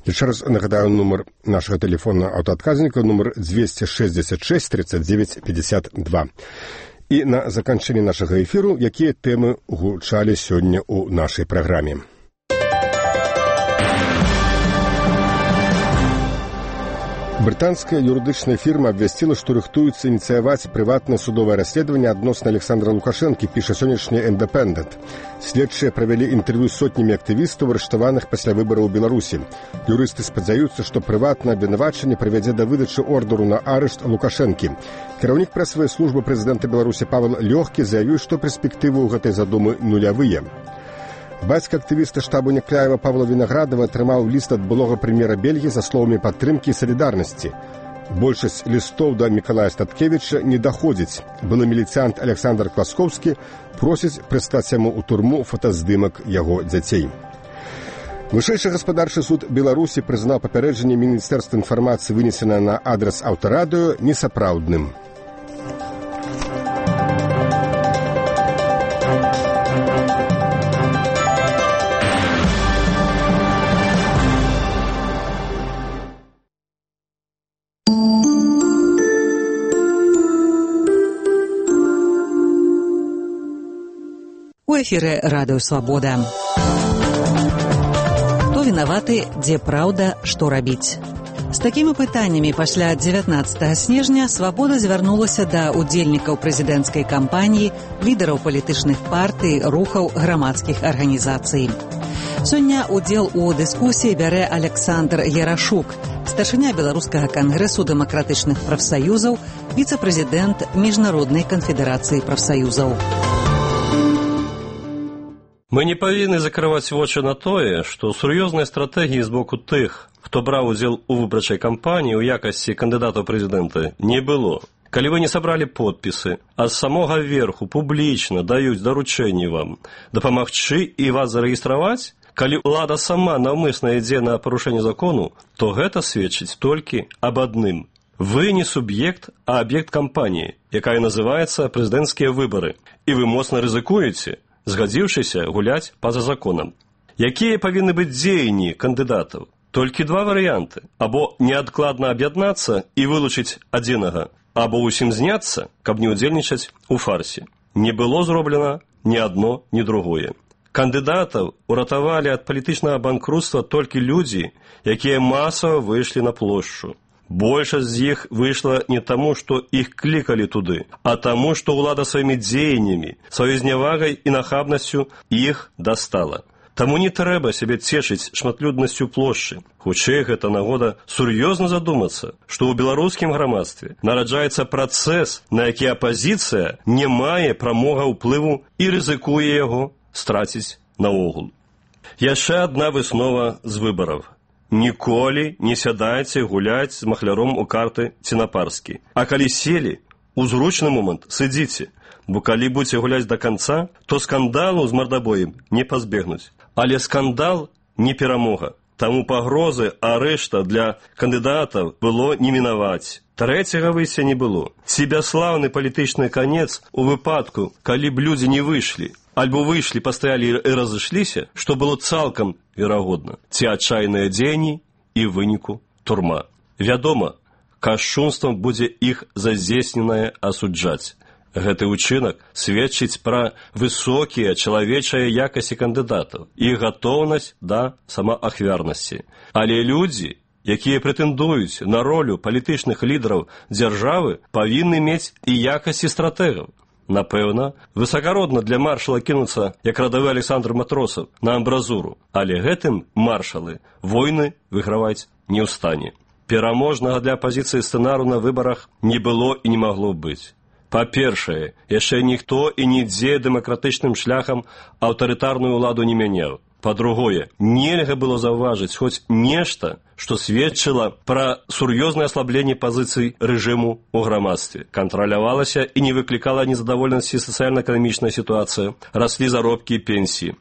Еще раз нагадаю номер нашего телефона аўтаадказніка, номер двести шестьдесят шесть тридцать девять пятьдесят два. И на заканчэнне нашага эфіру, якія тэмы гучалі сёння ў нашай праграме. Брытанская юрыдычная фирма абвясціла, што рыхтуецца ініцыяваць прыватнае судовае расследаванне адносна Александра Лукашэнкі, піша сённяшні «Индепендент». Следчыя правялі інтэрв'ю з сотнямі актывістаў, арыштаваных пасля выбараў у Беларусі. Юрысты спадзяюцца, што прыватнае абвінавачанне прывядзе да выдачы ордеру на арышт Лукашэнкі. Кіраўнік прэсавай службы прэзідэнта Беларусі Павел Лёгкі заявіў, што перспектывы ў гэтай задумы нулявыя. Бацька актывіста штабу Някляева Павла Вінаградова атрымаў ліст ад былога прэм'ера Бельгіі за словамі падтрымкі і салідарнасці. Большасць лістоў да Мікалая Статкевіча не даходзіць. Былы міліцыянт Александр Класкоўскі просіць прыстаць яму ў турму фотаздымак яго дзяцей. Вышэйшы гаспадарчы суд Беларусі прызнаў папярэджанне Міністэрства інфармацыі, вынесенае на адрас аўтарадыё, несапраўдным. У эфіры радыё «Свабода». Хто вінаваты, дзе праўда, што рабіць? З такімі пытаннямі пасля дзевятнаццатага снежня «Свабода» звярнулася да удзельнікаў прэзідэнцкай кампаніі, лідараў палітычных партый, рухаў, грамадскіх арганізацый. Сёння удзел у дыскусіі бярэ Александр Ярашук, старшыня Беларускага кангрэсу дэмакратычных прафсаюзаў, віцэ-прэзідэнт Міжнароднай канфедэрацыі прафсаюзаў. Мы не павінны закрываць вочы на тое, што сур'ёзнай стратэгіі з боку тых, хто браў удзел у выбарчай кампаніі ў якасці кандыдатаў прэзідэнта, не было. Калі вы не сабралі подпісы, а з самога верху публічна даюць даручэнні вам дапамагчы і вас зарэгістраваць, калі ўлада сама наўмысна ідзе на парушэнне закону, то гэта сведчыць толькі аб адным. Вы не суб'ект, а аб'ект кампаніі, якая называецца прэзідэнцкія выбары, і вы моцна рызыкуеце, згадзіўшыся гуляць па-за законам. Якія павінны быць дзеянні кандыдатаў? Толькі два варыянты. Або неадкладна аб'яднацца і вылучыць адзінага, або ўсім зняцца, каб не ўдзельнічаць у фарсе. Не было зроблена ні адно, ні другое. Кандыдатаў уратавалі ад палітычнага банкрутства толькі людзі, якія масава выйшлі на плошчу. Большасць з іх выйшла не таму, што іх клікалі туды, а таму, што ўлада сваімі дзеяннямі, сваёй знявагай і нахабнасцю іх дастала. Таму не трэба сябе цешыць шматлюднасцю плошчы. Хутчэй гэта нагода сур'ёзна задумацца, што ў беларускім грамадстве нараджаецца працэс, на які апазіцыя не мае прамога ўплыву і рызыкуе яго страціць наогул. Яшчэ адна выснова з выбараў. Ніколі не сядайце гуляць з махляром у карты ці на парскі. А калі селі, у зручны момант сыдзіце, бо калі будзеце гуляць да канца, то скандалу з мардабоем не пазбегнуць. Але скандал не перамога. Таму пагрозы арышта для кандыдатаў было не мінаваць. Трэцяга выйсця не было. Ці бясслаўны палітычны канец у выпадку, калі б людзі не выйшлі, альбо выйшлі, пастаялі і разышліся, што было цалкам верагодна, ці адчайныя дзеянні і выніку турма. Вядома, кашчунствам будзе іх зазесненае асуджаць. Гэты ўчынак сведчыць пра высокія чалавечыя якасці кандыдатаў і гатоўнасць да самаахвярнасці. Але людзі, якія прэтэндуюць на ролю палітычных лідараў дзяржавы, павінны мець і якасці стратэгаў. Напэўна, высакародна для маршала кінуцца, як радавы Александр Матросаў, на амбразуру, але гэтым маршалы войны выграваць не ў стане. пераможнага для апазіцыі сцэнару на выбарах не было і не магло быць. Па-першае, яшчэ ніхто і нідзе дэмакратычным шляхам аўтарытарную ўладу не мяняў. Па-другое, нельга было заўважыць хоць нешта, што сведчыла пра сур'ёзнае аслабленне пазіцый рэжыму ў грамадстве. Кантралявалася і не выклікала незадаволенасці сацыяльна-эканамічная сітуацыя, раслі заробкі і пенсіі.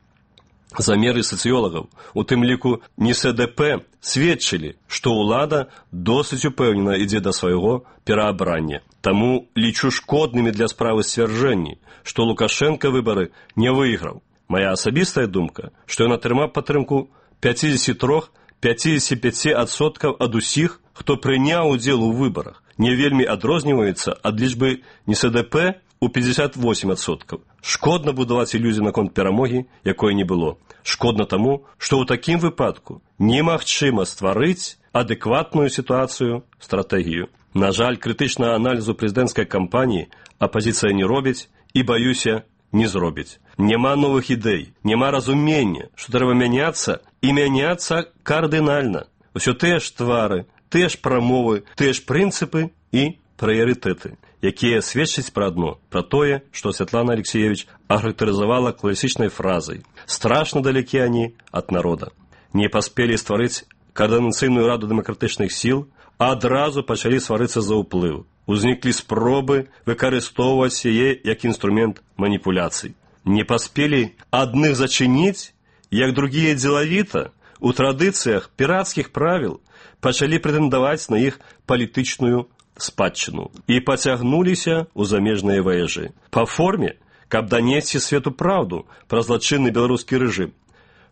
Замеры сацыёлагаў, у тым ліку эн эс дэ пэ, сведчылі, што ўлада досыць упэўнена ідзе да свайго пераабрання. Таму лічу шкоднымі для справы сцвярджэнні, што Лукашенко выбары не выйграў. Моя асабістая думка, што ён атрымаў падтрымку пяцьдзесят три - пяцьдесят пять адсоткаў ад усіх, хто прыняў удзел у выбарах, не вельмі адрозніваецца ад лічбы эн эс дэ пэ у пятьдесят восемь адсоткаў. Шкодна будаваць ілюзію наконт перамогі, якой не было. Шкодна таму, што ў такім выпадку немагчыма стварыць адэкватную сітуацыю, стратэгію. На жаль, крытычнага аналізу прэзідэнцкай кампаніі апазіцыя не робіць і, баюся, не зробіць. Няма новых ідэй, няма разумення, што трэба мяняцца і мяняцца кардынальна. Усё тыя ж твары, тыя ж прамовы, тыя ж прынцыпы і прыярытэты, якія сведчаць пра адно, пра тое, што Святлана Алексеевич ахарактарызавала класічнай фразай «Страшна далекі они ад народа». Не паспелі стварыць каардынацыйную раду дэмакратычных сіл, а адразу пачалі сварыцца за ўплыў. Узніклі спробы выкарыстоўваць яе як інструмент маніпуляцый. Не паспелі адных зачыніць, як другія дзелавіта, у традыцыях пірацкіх правіл пачалі прэтэндаваць на іх палітычную спадчыну і пацягнуліся ў замежныя ваежы. Па форме, каб данесці свету праўду пра злачынны беларускі рэжым.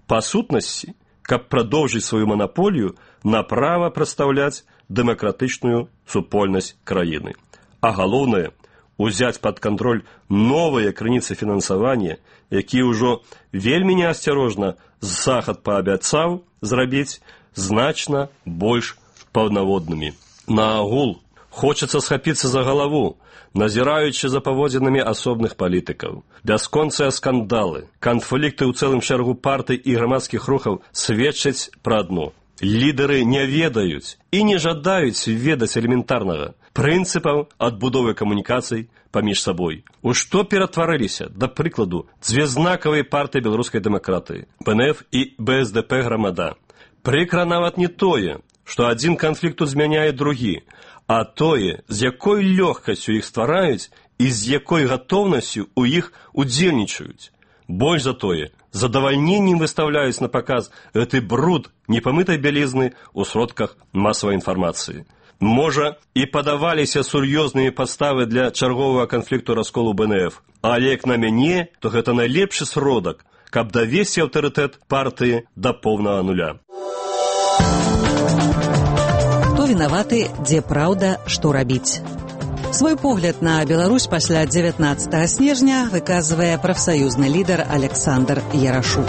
Па сутнасці, каб прадоўжыць сваю манаполію на права прадстаўляць дэмакратычную супольнасць краіны. А галоўнае, узяць пад кантроль новыя крыніцы фінансавання, якія ўжо вельмі неасцярожна захад паабяцаў зрабіць значна больш паўнаводнымі. Наагул, хочацца схапіцца за галаву, назіраючы за паводзінамі асобных палітыкаў. Бясконцыя скандалы, канфлікты ў цэлым шэрагу партый і грамадскіх рухаў сведчаць пра адно. Лідары не ведаюць і не жадаюць ведаць элементарнага прынцыпаў адбудовы камунікацый паміж сабой. У што ператварыліся, да прыкладу, дзве знакавыя партыі беларускай дэмакратыі – бэ эн эф і бэ эс дэ пэ «Грамада». Прыкра нават не тое, што адзін канфлікт змяняе другі, а тое, з якой лёгкасцю іх ствараюць і з якой гатоўнасцю ў іх удзельнічаюць. Больш за тое, задавальненнем выставляюць на паказ гэты бруд непамытай бялізны ў сродках масавай інфармацыі. Можа, і падаваліся сур'ёзныя падставы для чарговага канфлікту расколу бэ эн эф, але як на мяне, то гэта найлепшы сродак, каб давесці аўтарытэт партыі да поўнага нуля. Хто вінаваты, дзе праўда, што рабіць? Свой погляд на Беларусь пасля дзевятнаццатага снежня выказвае прафсаюзны лідар Александр Ярашук.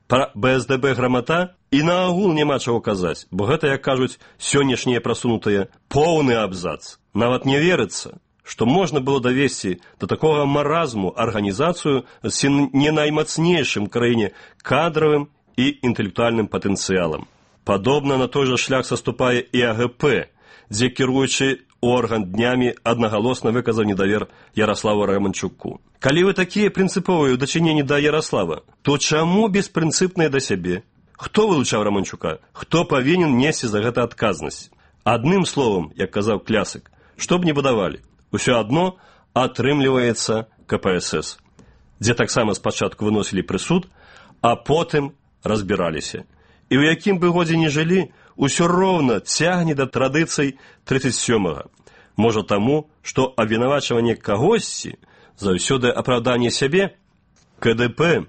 Пра бэ эс дэ бэ «Грамада» і наогул няма чаго казаць, бо гэта, як кажуць сённяшнія прасунутыя, поўны абзац. Нават не верыцца, што можна было давесці да такога маразму арганізацыю з не наймацнейшым краіне кадравым і інтэлектуальным патэнцыялам. Падобна на той жа шлях саступае і а гэ пэ, дзе кіруючы орган днямі аднагалосна выказаў недавер Яраславу Романчуку. Калі вы такія прынцыповыя ў дачыненні да Яраслава, то чаму беспрынцыпныя да сябе? Хто вылучаў Романчука? Хто павінен несці за гэта адказнасць? Адным словам, як казаў класік, што б не будавалі, усё адно атрымліваецца ка пэ эс эс, дзе таксама спачатку выносілі прысуд, а потым разбіраліся. І ў якім бы годзе не жылі, усё роўна цягне да традыцый трыццаць сёмага. Можа таму, што абвінавачванне кагосьці заўсёды апраўданне сябе. ка дэ пэ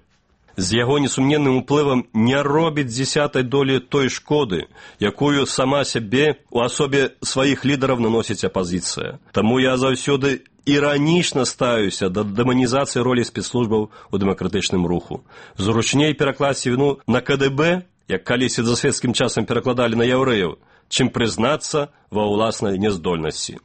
з яго несумненным уплывам не робіць дзесятай долі той шкоды, якую сама сябе у асобе сваіх лідараў наносіць апазіцыя. Таму я заўсёды іранічна стаюся да дэманізацыі ролі спецслужбаў у дэмакратычным руху. Зручней перакласці віну на ка дэ бэ, як калісьці за свецкім часам перакладалі на яўрэяў, чым прызнацца ва ўласнай няздольнасці.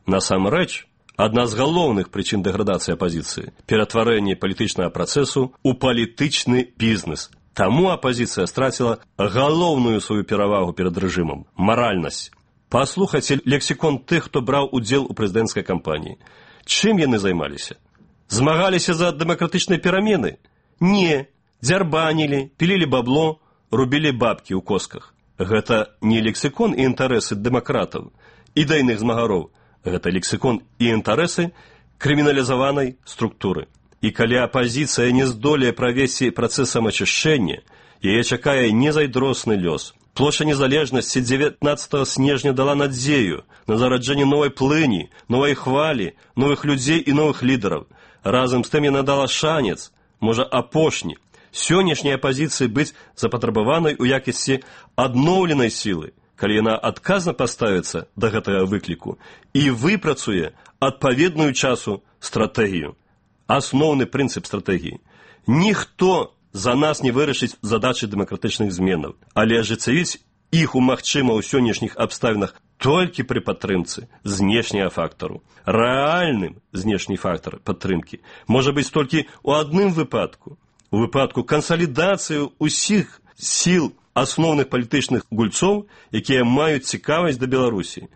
Насамрэч, адна з галоўных прычын дэградацыі апазіцыі – ператварэнне палітычнага працэсу ў палітычны бізнес. Таму апазіцыя страціла галоўную сваю перавагу перад рэжымам – маральнасць. Паслухайце лексікон тых, хто браў удзел у прэзідэнцкай кампаніі. Чым яны займаліся? Змагаліся за дэмакратычныя перамены? Не. Дзярбанілі, пілілі бабло, рубілі бабкі ў косках. Гэта не лексікон і інтарэсы дэмакратаў, ідэйных змагароў. Гэта лексікон і інтарэсы крыміналізаванай структуры. І калі апазіцыя не здолее правесці працэс самаачышчэння, яе чакае незайдросны лёс. Плошча незалежнасці дзевятнаццатага снежня дала надзею на зараджэнне новай плыні, новай хвалі, новых людзей і новых лідараў. Разам з тым яна дала шанец, можа апошні, сённяшняй апазіцыі быць запатрабаванай у якасці адноўленай сілы, калі яна адказна паставіцца да гэтага выкліку і выпрацуе адпаведную часу стратэгію. Асноўны прынцып стратэгіі. Ніхто за нас не вырашыць задачы дэмакратычных зменаў, але ажыццявіць іх умагчыма ў сённяшніх абставінах толькі пры падтрымцы знешняга фактару. Рэальным знешні фактар падтрымкі можа быць толькі ў адным выпадку. У выпадку кансалідацыі ўсіх сіл асноўных палітычных гульцоў, якія маюць цікавасць да Беларусі,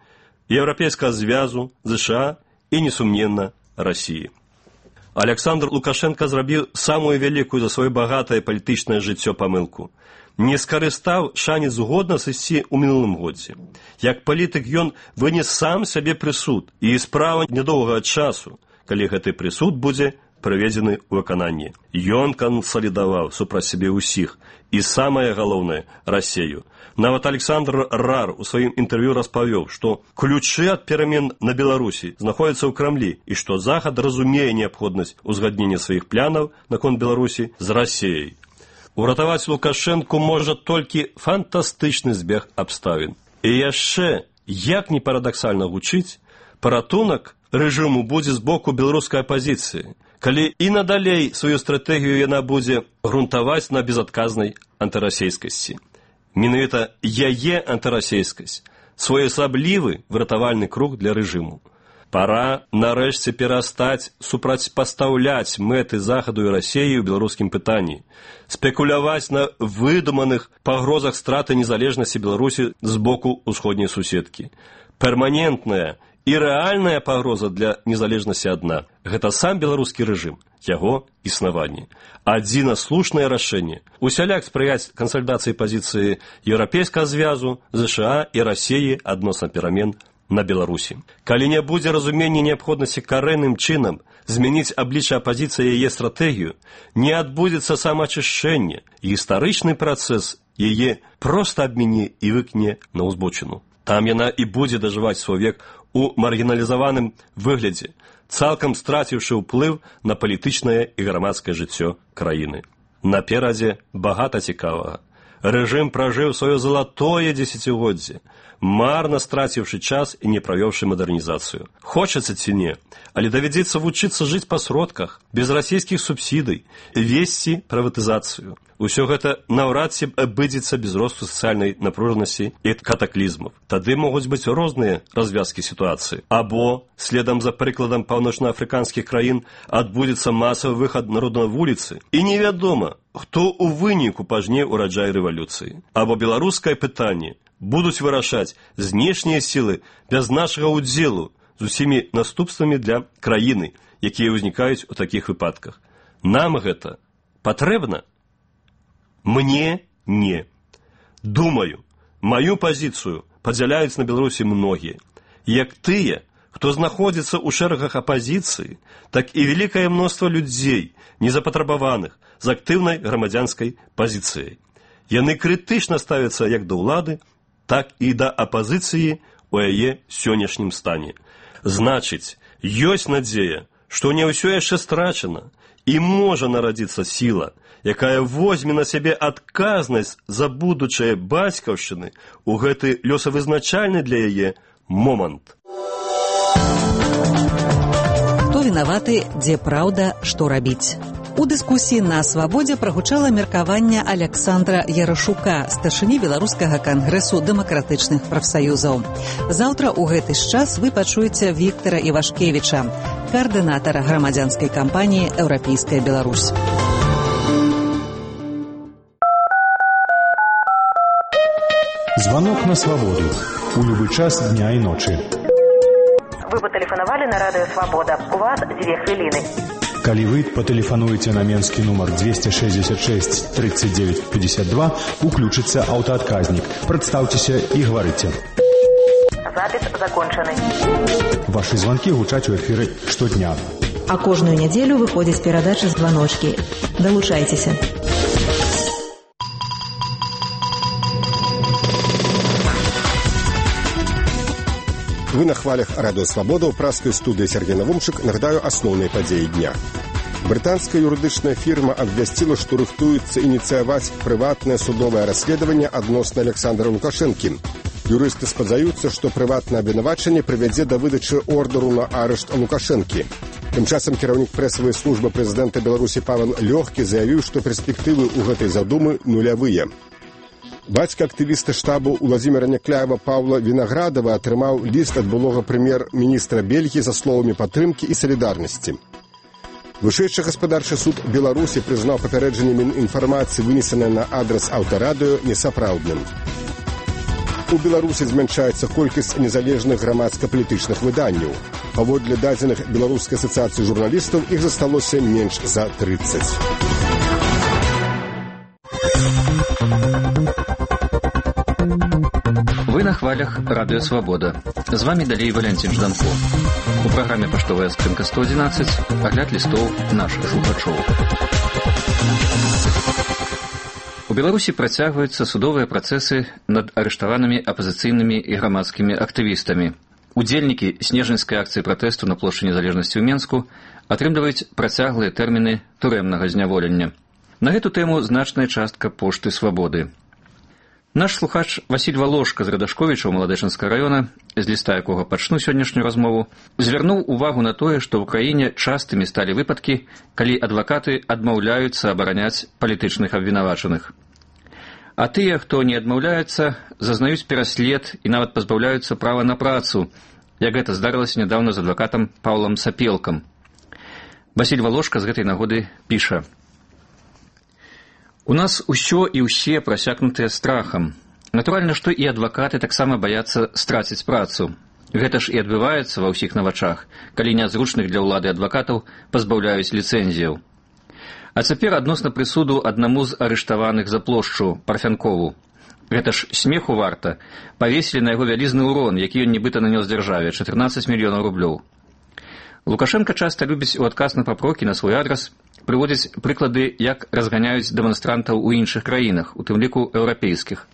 Еўрапейскага звязу, ЗША і, несумненна, Расіі. Александр Лукашенко зрабіў самую вялікую за сваё багатае палітычнае жыццё памылку. Не скарыстаў шанец годна сысці ў мінулым годзе. Як палітык ён вынес сам сабе прысуд, і справа нядоўгага часу, калі гэты прысуд будзе прыведзены ў выкананне. Ён кансалідаваў супраць сябе ўсіх, і самае галоўнае – Расею. Нават Александр Рар у сваім інтэрв'ю распавёў, што ключы ад перамен на Беларусі знаходзяцца ў Крамлі і што Захад разумее неабходнасць узгаднення сваіх планаў наконт Беларусі з Расеяй. Уратаваць Лукашэнку можа толькі фантастычны збег абставін. І яшчэ, як не парадаксальна гучыць, паратунак рэжыму будзе з боку беларускай апазіцыі, калі і надалей сваю стратэгію яна будзе грунтаваць на безадказнай антырасейскасці. Менавіта яе антырасейскасць – своеасаблівы выратавальны круг для рэжыму. Пара нарэшце перастаць супрацьпастаўляць мэты Захаду і Расеі ў беларускім пытанні, спекуляваць на выдуманых пагрозах страты незалежнасці Беларусі з боку ўсходняй суседкі. Перманентная і рэальная пагроза для незалежнасці адна – гэта сам беларускі рэжым, яго існаванне. Адзіна слушнае рашэнне – усяляк спрыяць кансалідацыі пазіцыі Еўрапейскага звязу, ЗША і Расеі адносна перамен на Беларусі. Калі не будзе разумення неабходнасці карэнным чынам змяніць аблічча апазіцыі яе стратэгію, не адбудзецца самаачышчэнне, гістарычны працэс яе проста абміне і выкне на ўзбочыну. Там яна і будзе дажываць свой век у маргіналізаваным выглядзе, цалкам страціўшы ўплыў на палітычнае і грамадскае жыццё краіны. Наперадзе багата цікавага. Рэжым пражыў сваё залатое дзесяцігоддзе, марна страціўшы час і не правёўшы мадэрнізацыю. Хочацца ці не, але давядзецца вучыцца жыць па сродках, без расійскіх субсідый, весці прыватызацыю. Усё гэта наўрад ці абыдзецца без росту сацыяльнай напружанасці і катаклізмаў. Тады могуць быць розныя развязкі сітуацыі. Або, следам за прыкладам паўночнаафрыканскіх краін, адбудзецца масавы выхад народа на вуліцы, і невядома, хто ў выніку пажне ураджай рэвалюцыі. Або беларускае пытанне будуць вырашаць знешнія сілы без нашага ўдзелу з усімі наступствамі для краіны, якія ўзнікаюць у такіх выпадках. Нам гэта патрэбна? Мне не. Думаю, маю пазіцыю падзяляюць на Беларусі многія. Як тыя, хто знаходзіцца ў шэрагах апазіцыі, так і вялікае мноства людзей, незапатрабаваных, з актыўнай грамадзянскай пазіцыяй. Яны крытычна ставяцца як да ўлады, так і да апазіцыі ў яе сённяшнім стане. Значыць, ёсць надзея, што не ўсё яшчэ страчана, і можа нарадзіцца сіла, якая возьме на сябе адказнасць за будучае бацькаўшчыны ў гэты лёсавызначальны для яе момант. Хто вінаваты, дзе праўда, што рабіць? У дыскусіі на свабодзе прагучала меркаванне Александра Ярашука, старшыні Беларускага кангрэсу дэмакратычных прафсаюзаў. Заўтра ў гэты ж час вы пачуеце Віктара Івашкевіча, каардынатара грамадзянскай кампаніі «Еўрапейская Беларусь». Звонок на свободу. У любой час дня и ночи. Вы патэлефанавалі на радыё «Свабода». У вас дзве хвіліны. Калі вы патэлефануеце на менскі нумар двести шестьдесят шесть тридцать девять пятьдесят два, уключыцца аўтаадказнік. Прадстаўцеся і гаварыце. Запіс закончаны. Вашы звонкі гучаць у эфіры штодня. А кожную нядзелю выходзіць перадача «Званочкі». Далучайцеся. Вы на хвалях радыё «Свабода» ў праскай студыі Сергей Навумчык. Нагадаю асноўныя падзеі дня. Брытанская юрыдычная фірма абвясціла, што рыхтуецца ініцыяваць прыватнае судовае расследаванне адносна Александра Лукашэнкі. Юрысты спадзяюцца, што прыватнае абвінавачанне прывядзе да выдачы ордеру на арышт Лукашэнкі. Тым часам кіраўнік прэсавай службы прэзідэнта Беларусі Павел Лёгкі заявіў, што перспектывы ў гэтай задумы нулявыя. Бацька актывіста штабу Уладзіміра Някляева Паўла Вінаградава атрымаў ліст ад былога прэм'ер-міністра Бельгіі за словамі падтрымкі і салідарнасці. Вышэйшы гаспадарчы суд Беларусі прызнаў папярэджанне Мінінфармацыі, вынесенае на адрас аўтарадыё, несапраўдным. У Беларусі змяншаецца колькасць незалежных грамадска-палітычных выданняў. Паводле дадзеных Беларускай асацыяцыі журналістаў іх засталося менш за трыццаць. Вы на хвалях радыё «Свабода». З вами далей Валянцін Жданко. У праграме «Паштовая скрынка сто одиннадцать» агляд лістоў нашых слухачоў. У Беларусі працягваюцца судовыя працэсы над арыштаванымі апазіцыйнымі і грамадскімі актывістамі. Удзельнікі снежаньскай акцыі пратэсту на плошчы Незалежнасці ў Менску атрымліваюць працяглыя тэрміны турэмнага зняволення. На гэту тэму значная частка пошты «Свабоды». Наш слухач Васіль Валошка з Радашковіча ў Маладэчынскага раёна, з ліста якога пачну сённяшнюю размову, звярнуў увагу на тое, што ў краіне частымі сталі выпадкі, калі адвакаты адмаўляюцца абараняць палітычных абвінавачаных. А тыя, хто не адмаўляецца, зазнаюць пераслед і нават пазбаўляюцца права на працу, як гэта здарылася нядаўна з адвакатам Паўлам Сапелкам. Васіль Валошка з гэтай нагоды піша: «У нас усё і ўсе прасякнутыя страхам. Натуральна, што і адвакаты таксама баяцца страціць працу. Гэта ж і адбываецца ва ўсіх на вачах, калі нязручных для ўлады адвакатаў пазбаўляюць ліцэнзіяў. А цяпер адносна прысуду аднаму з арыштаваных за плошчу Парфянкову. Гэта ж смеху варта. Павесілі на яго вялізны ўрон, які ён нібыта нанёс дзяржаве, чатырнаццаць мільёнаў рублёў. Лукашенко часта любіць у адказ на папрокі на свой адрас прыводзіць прыклады, як разганяюць дэманстрантаў у іншых краінах, у тым ліку еўрапейскіх.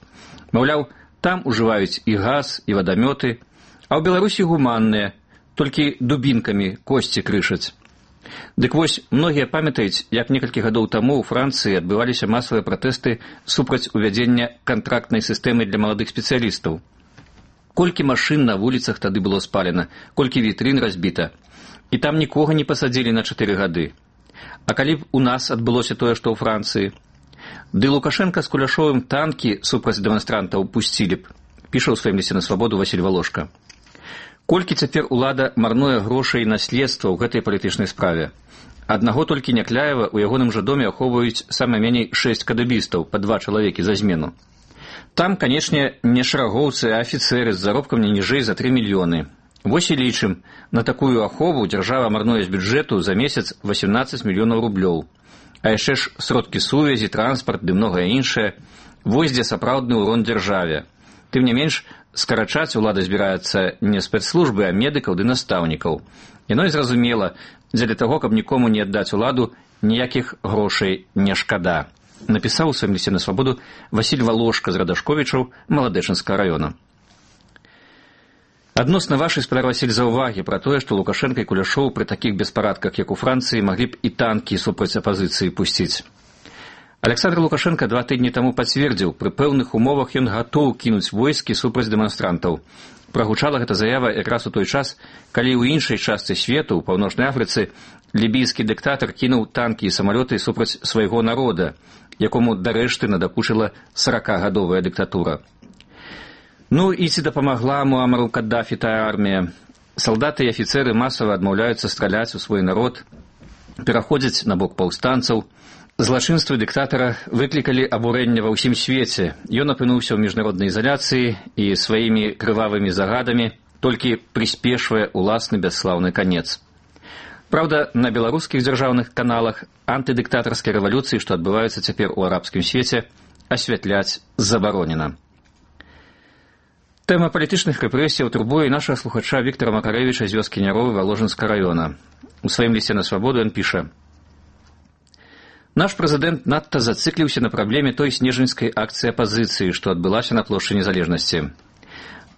Маўляў, там ужываюць і газ, і вадамёты, а ў Беларусі гуманныя, толькі дубінкамі косці крышаць. Дык вось, многія памятаюць, як некалькі гадоў таму ў Францыі адбываліся масавыя пратэсты супраць увядзення кантрактнай сістэмы для маладых спецыялістаў. Колькі машын на вуліцах тады было спалена, колькі вітрын разбіта. І там нікога не пасадзілі на чатыры гады. А калі б у нас адбылося тое, што ў Францыі? Ды Лукашенка з Куляшовым танкі супраць дэманстрантаў пусцілі б, піша ў сваім лісце на свабоду Васіль Валошка. Колькі цяпер улада марнуе грошай на следства ў гэтай палітычнай справе? Аднаго толькі Някляева ў ягоным жа доме ахоўваюць сама меней шэсць кадыбістаў, па два чалавекі за змену. Там, канечне, не шарагоўцы, а афіцэры з заробкам не ніжэй за тры мільёны. Вось і лічым, на такую ахову дзяржава марнуе з бюджэту за месяц восемнадцаць мільёнаў рублёў. А яшчэ ж сродкі сувязі, транспарт ды многае іншае. Вось дзе сапраўдны ўрон дзяржаве. Тым не менш, скарачаць улада збіраецца не спецслужбы, а медыкаў ды настаўнікаў. Яно і зразумела, дзеля таго, каб нікому не аддаць уладу, ніякіх грошай не шкада. Напісаў у сваім лісце на свабоду Васіль Валошка з Радашковічаў Маладэчынскага раёна. Адносна вашай, спадар Васіль, заўвагі пра тое, што Лукашенка і Куляшоў пры такіх беспарадках, як у Францыі, маглі б і танкі супраць апазіцыі пусціць. Александр Лукашенко два тыдні таму пацвердзіў, пры пэўных умовах ён гатоў кінуць войскі супраць дэманстрантаў. Прагучала гэта заява якраз у той час, калі ў іншай частцы свету, у Паўночнай Афрыцы, лібійскі дыктатар кінуў танкі і самалёты супраць свайго народа, якому дарэшты надакучыла саракагадовая дыктатура. Ну і ці дапамагла Муамару Каддафі тая армія? Салдаты і афіцэры масава адмаўляюцца страляць у свой народ, пераходзяць на бок паўстанцаў, Злачынствы дыктатара выклікалі абурэнне ва ўсім свеце. Ён апынуўся ў міжнароднай изоляцыі і сваімі крывавымі загадамі толькі прыспешвае уласны бясслаўны канец. Праўда, на беларускіх дзяржаўных каналах антыдыктатарскай рэвалюцыі, што адбываюцца цяпер у арабскім свеце, асвятляць забаронена. Тэма палітычных рэпрэсіяў турбуе нашага слухача Віктара Макарэвіча з вёскі Няровы Валожынска раёна. У сваім лісце на свабоду ён піша: «Наш прэзідэнт надта зацикліўся на праблеме той снежаньскай акцыі апазіцыі, што адбылася на плошчы Незалежнасці.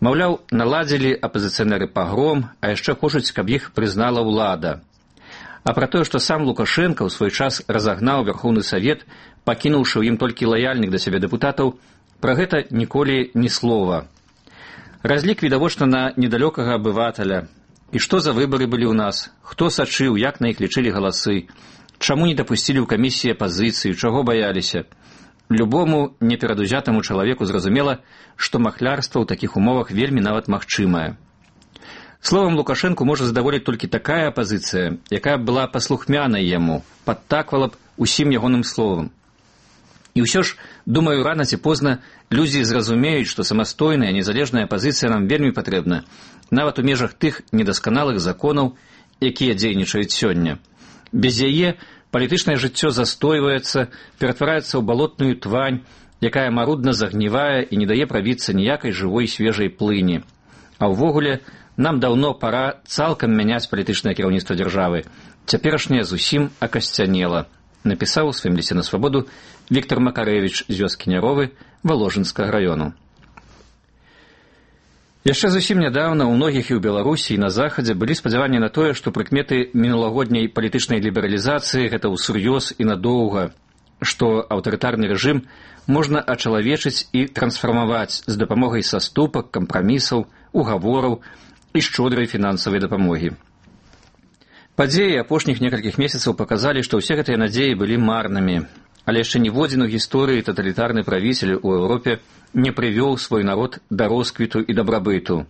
Маўляў, наладзілі апазіцыянеры пагром, а яшчэ хочуць, каб іх прызнала ўлада. А пра тое, што сам Лукашенка ў свой час разагнаў Верхоўны Савет, пакінуўшы ў ім толькі лаяльных да сябе дэпутатаў, пра гэта ніколі ні слова. Разлік відавочна на недалёкага абывателя. І што за выбары былі ў нас? Хто сачыў, як на іх лічылі галасы? Чаму не дапусцілі ў камісіі апазіцыі? Чаго баяліся? Любому неперадузятаму чалавеку зразумела, што махлярства ў такіх умовах вельмі нават магчымае. Словам, Лукашэнку можа задаволіць толькі такая апазіцыя, якая была паслухмянай яму, падтаквала б усім ягоным словам. І ўсё ж, думаю, рана ці позна людзі зразумеюць, што самастойная, незалежная апазіцыя нам вельмі патрэбна, нават у межах тых недасканалых законаў, якія дзейнічаюць сёння. Без яе палітычнае жыццё застойваецца, ператвараецца ў балотную твань, якая марудна загнівае і не дае прабіцца ніякай жывой свежай плыні. А ўвогуле, нам даўно пара цалкам мяняць палітычнае кіраўніцтва дзяржавы. Цяперашняе зусім акасцянела, напісаў у сваім лісце на свабоду Віктар Макарэвіч з вёскі Няровы Валожынскага раёну. Яшчэ зусім нядаўна ў многіх і ў Беларусі і на Захадзе былі спадзяванні на тое, што прыкметы мінулагодняй палітычнай лібералізацыі гэта ўсур'ёз і надоўга, што аўтарытарны рэжым можна ачалавечыць і трансфармаваць з дапамогай саступак, кампрамісаў, угавораў і шчодрай фінансавай дапамогі. Падзеі апошніх некалькіх месяцаў паказалі, што ўсе гэтыя надзеі былі марнымі, але яшчэ ніводзін у гісторыі таталітарны правіцель у Еўропе не прывёў свой народ да росквіту і дабрабыту.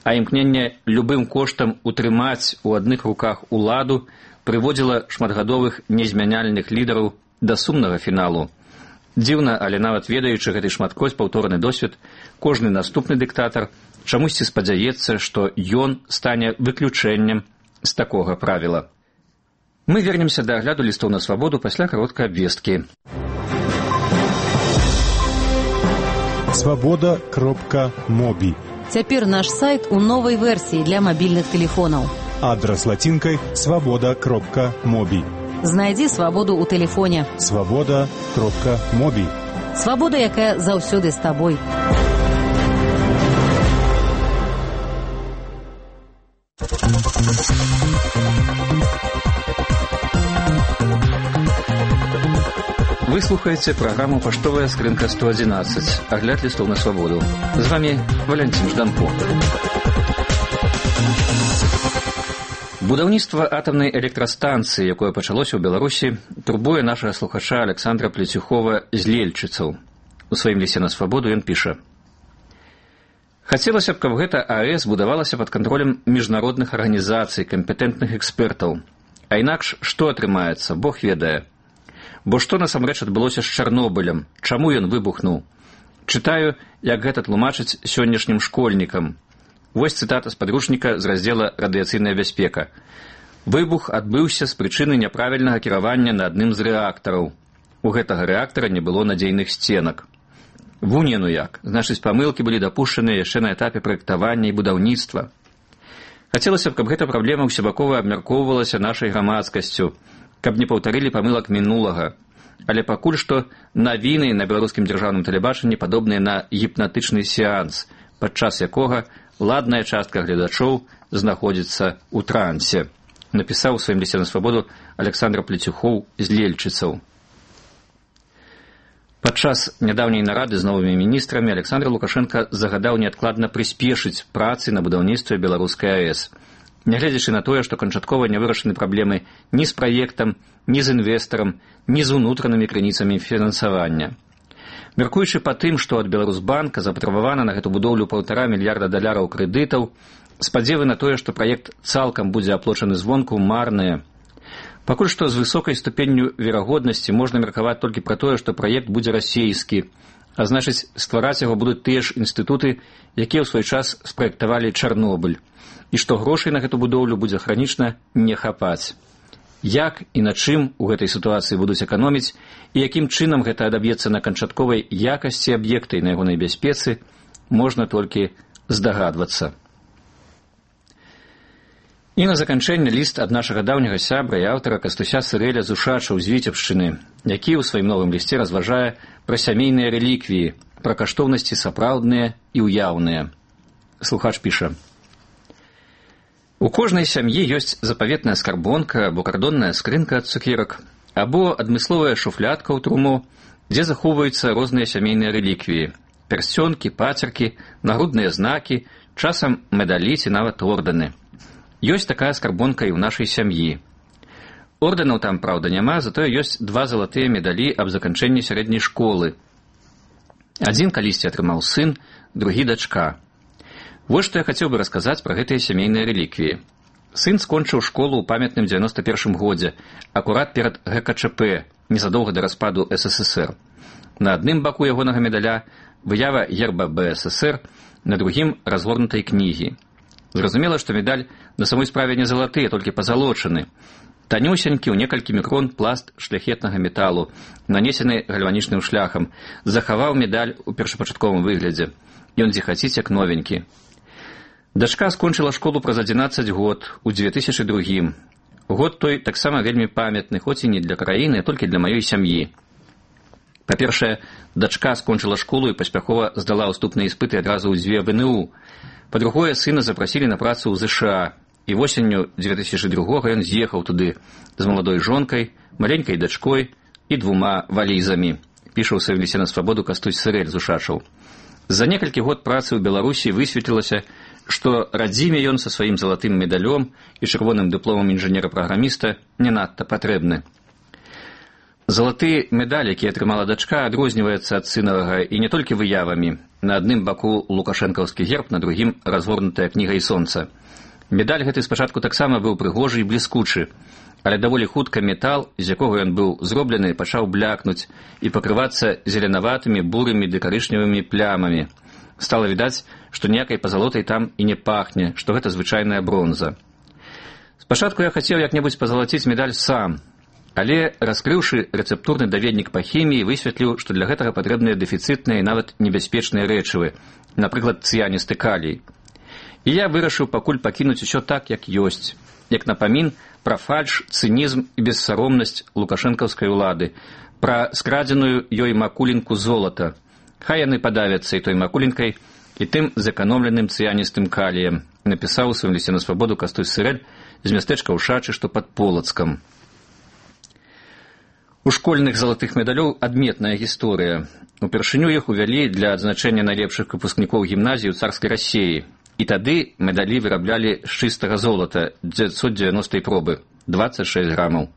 А імкненне любым коштам утрымаць у адных руках уладу прыводзіла шматгадовых незмяняльных лідараў да сумнага фіналу. Дзіўна, але нават ведаючы гэты шматкроць паўторны досвед, кожны наступны дыктатар чамусьці спадзяецца, што ён стане выключэннем з такога правіла. Мы вернемся да агляду лістоў на свабоду пасля кароткай абвесткі. свобода кропка моби. Цяпер наш сайт у новай версіі для мабільных тэлефонаў. Адрас лацінкай свобода кропка моби. Знайдзі свабоду ў тэлефоне. свобода кропка моби. Свабода, якая заўсёды з табой. Вы слухаеце праграму «Паштовая скрынка сто адзінаццаць», агляд лістоў на свабоду. З вами Валянцін Жданко. Будаўніцтва атамнай электрастанцыі, якое пачалося ў Беларусі, турбуе нашага слухача Александра Плецюхова з Лельчыцаў. У сваім лісце на свабоду ён піша: «Хацелася б, каб гэта АЭС будавалася пад кантролем міжнародных арганізацый, кампетэнтных экспертаў. А інакш што атрымаецца, Бог ведае. Бо што насамрэч адбылося з Чарнобылем? Чаму ён выбухнуў? Чытаю, як гэта тлумачыць сённяшнім школьнікам. Вось цытата з падручніка з раздзела «Радыяцыйная бяспека». Выбух адбыўся з прычыны няправільнага кіравання на адным з рэактараў. У гэтага рэактара не было надзейных сценак. Вунь ну як, значыць, памылкі былі дапушчаныя яшчэ на этапе праектавання і будаўніцтва. Хацелася б, каб гэта праблема ўсебакова абмяркоўвалася нашай грамадскасцю, каб не паўтарылі памылак мінулага. Але пакуль што навіны на беларускім дзяржаўным тэлебачанні падобныя на гіпнатычны сеанс, падчас якога ладная частка гледачоў знаходзіцца ў трансе, напісаў у сваім лісце на свабоду Александр Плецюхоў з Лельчыцаў. Падчас нядаўняй нарады з новымі міністрамі Александр Лукашенко загадаў неадкладна прыспешыць працы на будаўніцтве беларускай АЭС, нягледзячы на тое, што канчаткова не вырашаны праблемы ні з праектам, ні з інвестарам, ні з унутранымі крыніцамі фінансавання. Мяркуючы па тым, што ад Беларусбанка запатрабавана на гэту будоўлю паўтара мільярда даляраў крэдытаў, спадзевы на тое, што праект цалкам будзе аплочаны звонку, марныя. Пакуль што з высокай ступенню верагоднасці можна меркаваць толькі пра тое, што праект будзе расейскі, а значыць, ствараць яго будуць тыя ж інстытуты, якія ў свой час спраектавалі Чарнобыль, і што грошай на гэту будоўлю будзе хранічна не хапаць. Як і на чым у гэтай сітуацыі будуць эканоміць і якім чынам гэта адаб'ецца на канчатковай якасці аб'екта і на ягонай бяспецы, можна толькі здагадвацца. І на заканчэнне ліст ад нашага даўняга сябра і аўтара Кастуся Сырэля з Ушачаў з Віцебшчыны, які ў сваім новым лісце разважае пра сямейныя рэліквіі, пра каштоўнасці сапраўдныя і ўяўныя. Слухач піша: у кожнай сям'і ёсць запаветная скарбонка або кардонная скрынка ад цукерак, або адмысловая шуфлядка ў труму, дзе захоўваюцца розныя сямейныя рэліквіі, пярсцёнкі, пацеркі, нагрудныя знакі, часам медалі ці нават ордэны. Ёсць такая скарбонка і ў нашай сям'і. Ордэнаў там, праўда, няма, затое ёсць два залатыя медалі аб заканчэнні сярэдняй школы. Адзін калісьці атрымаў сын, другі дачка. Вось што я хацеў бы расказаць пра гэтыя сямейныя рэліквіі. Сын скончыў школу ў памятным дзевяноста першым годзе, акурат перад гэ ка чэ пэ, незадоўга да распаду эс эс эс эр. На адным баку ягонага медаля выява герба бэ эс эс эр, на другім разгорнутай кнігі. Зразумела, што медаль на самой справе не залаты, а толькі пазалочаны. Танюсенькі ў некалькі мікрон пласт шляхетнага металу, нанесены гальванічным шляхам, захаваў медаль у першапачатковым выглядзе. Ён зіхаціць як новенькі. Дачка скончыла школу праз адзінаццаць год, у дзве тысячы другім. Год той таксама вельмі памятны, хоць і не для краіны, а толькі для маёй сям'і. Па-першае, дачка скончыла школу і паспяхова здала ўступныя іспыты адразу ў дзве вэ эн у. Па-другое, сына запрасілі на працу ў зэ ша а, і восенню дзве тысячы другога ён з'ехаў туды з маладой жонкай, маленькай дачкой і двума валізамі, піша ў сваім лісце на свабоду Кастусь Сырэль з Ушачаў. За некалькі год працы ў Беларусі высветлілася, што радзіме ён са сваім залатым медалём і чырвоным дыпломам інжынера-праграміста не надта патрэбны. Залаты медаль, які атрымала дачка, адрозніваецца ад сынавага і не толькі выявамі. На адным баку лукашэнкаўскі герб, на другім разгорнутая кніга і сонца. Медаль гэты спачатку таксама быў прыгожы і бліскучы, але даволі хутка метал, з якога ён быў зроблены, пачаў блякнуць і пакрывацца зеленаватымі, бурымі ды карычневымі плямамі. Стала відаць, што ніякай пазалотай там і не пахне, што гэта звычайная бронза. Спачатку я хацеў як-небудзь пазалаціць медаль сам, але, раскрыўшы рэцэптурны даведнік па хіміі, высветліў, што для гэтага патрэбныя дэфіцытныя і нават небяспечныя рэчывы, напрыклад, цыяністы калій. І я вырашыў пакуль пакінуць усё так, як ёсць, як напамін пра фальш, цынізм і бессаромнасць лукашэнкаўскай улады, пра скрадзеную ёй макулінку золата. Хай яны падавяцца і той макулінкай, і тым зэканомленым цыяністым каліем, напісаў у сваім лісце на свабоду Кастусь Сырэль з мястэчка Ушачы, што пад Полацкам. У школьных залатых медалёў адметная гісторыя. Упершыню іх увялі для адзначэння найлепшых выпускнікоў гімназіі ў царскай Расіі. І тады медалі выраблялі з чыстага золата дзевяцьсот дзевяностай пробы, дваццаць шэсць грамаў.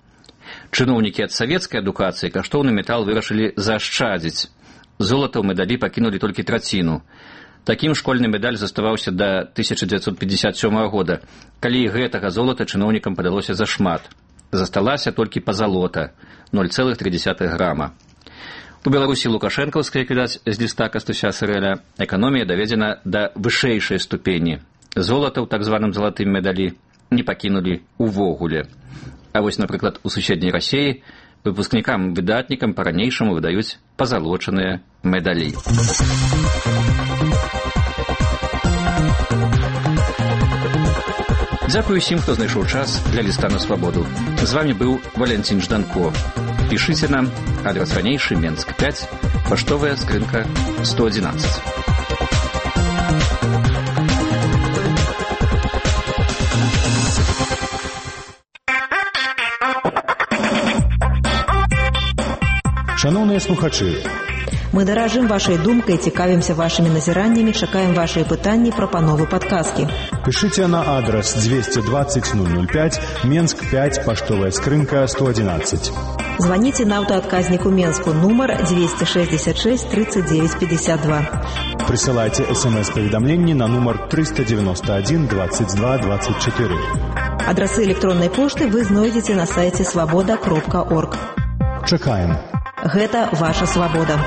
Чыноўнікі ад савецкай адукацыі каштоўны метал вырашылі заашчадзіць. Золата ў медалі пакінулі толькі траціну. Такім школьны медаль заставаўся да тысяча дзевяцьсот пятьдесят сёмага года, калі гэтага золата чыноўнікам падалося зашмат. Засталася толькі пазалота, ноль цэлых тры дзесятых грама. У Беларусі лукашэнкаўскай, як відаць, з ліста Кастуся Сырэля, эканомія даведзена да вышэйшай ступені. Золата ў так званым залатым медалі не пакінулі увогуле. А вось, напрыклад, у суседняй Расіі выпускнікам-выдатнікам па-ранейшаму выдаюць пазалочаныя медалі. Дзякую усім, хто знайшоў час для ліста на свабоду. З вами быў Валентин Жданко. Пішыце нам, адрес ранейшы, Менск пять, паштовая скрынка сто одиннадцать. Шановныя слухачы, мы даражым вашай думкай, цікавімся вашымі назіраннямі, чакаем вашыя пытанні, прапановы, падказкі. Пишите на адрес двести двадцать ноль ноль пять, Менск пять, поштовая скрынка сто одиннадцать. Звоните на автоотказнику Менску, номер двести шестьдесят шесть тридцать девять пятьдесят два. Присылайте смс-поведомление на номер триста девяносто один двадцать два двадцать четыре. Адрасы электронной пошты вы знойдзеце на сайте свобода кропка орг. Чакаем. Гэта ваша свабода.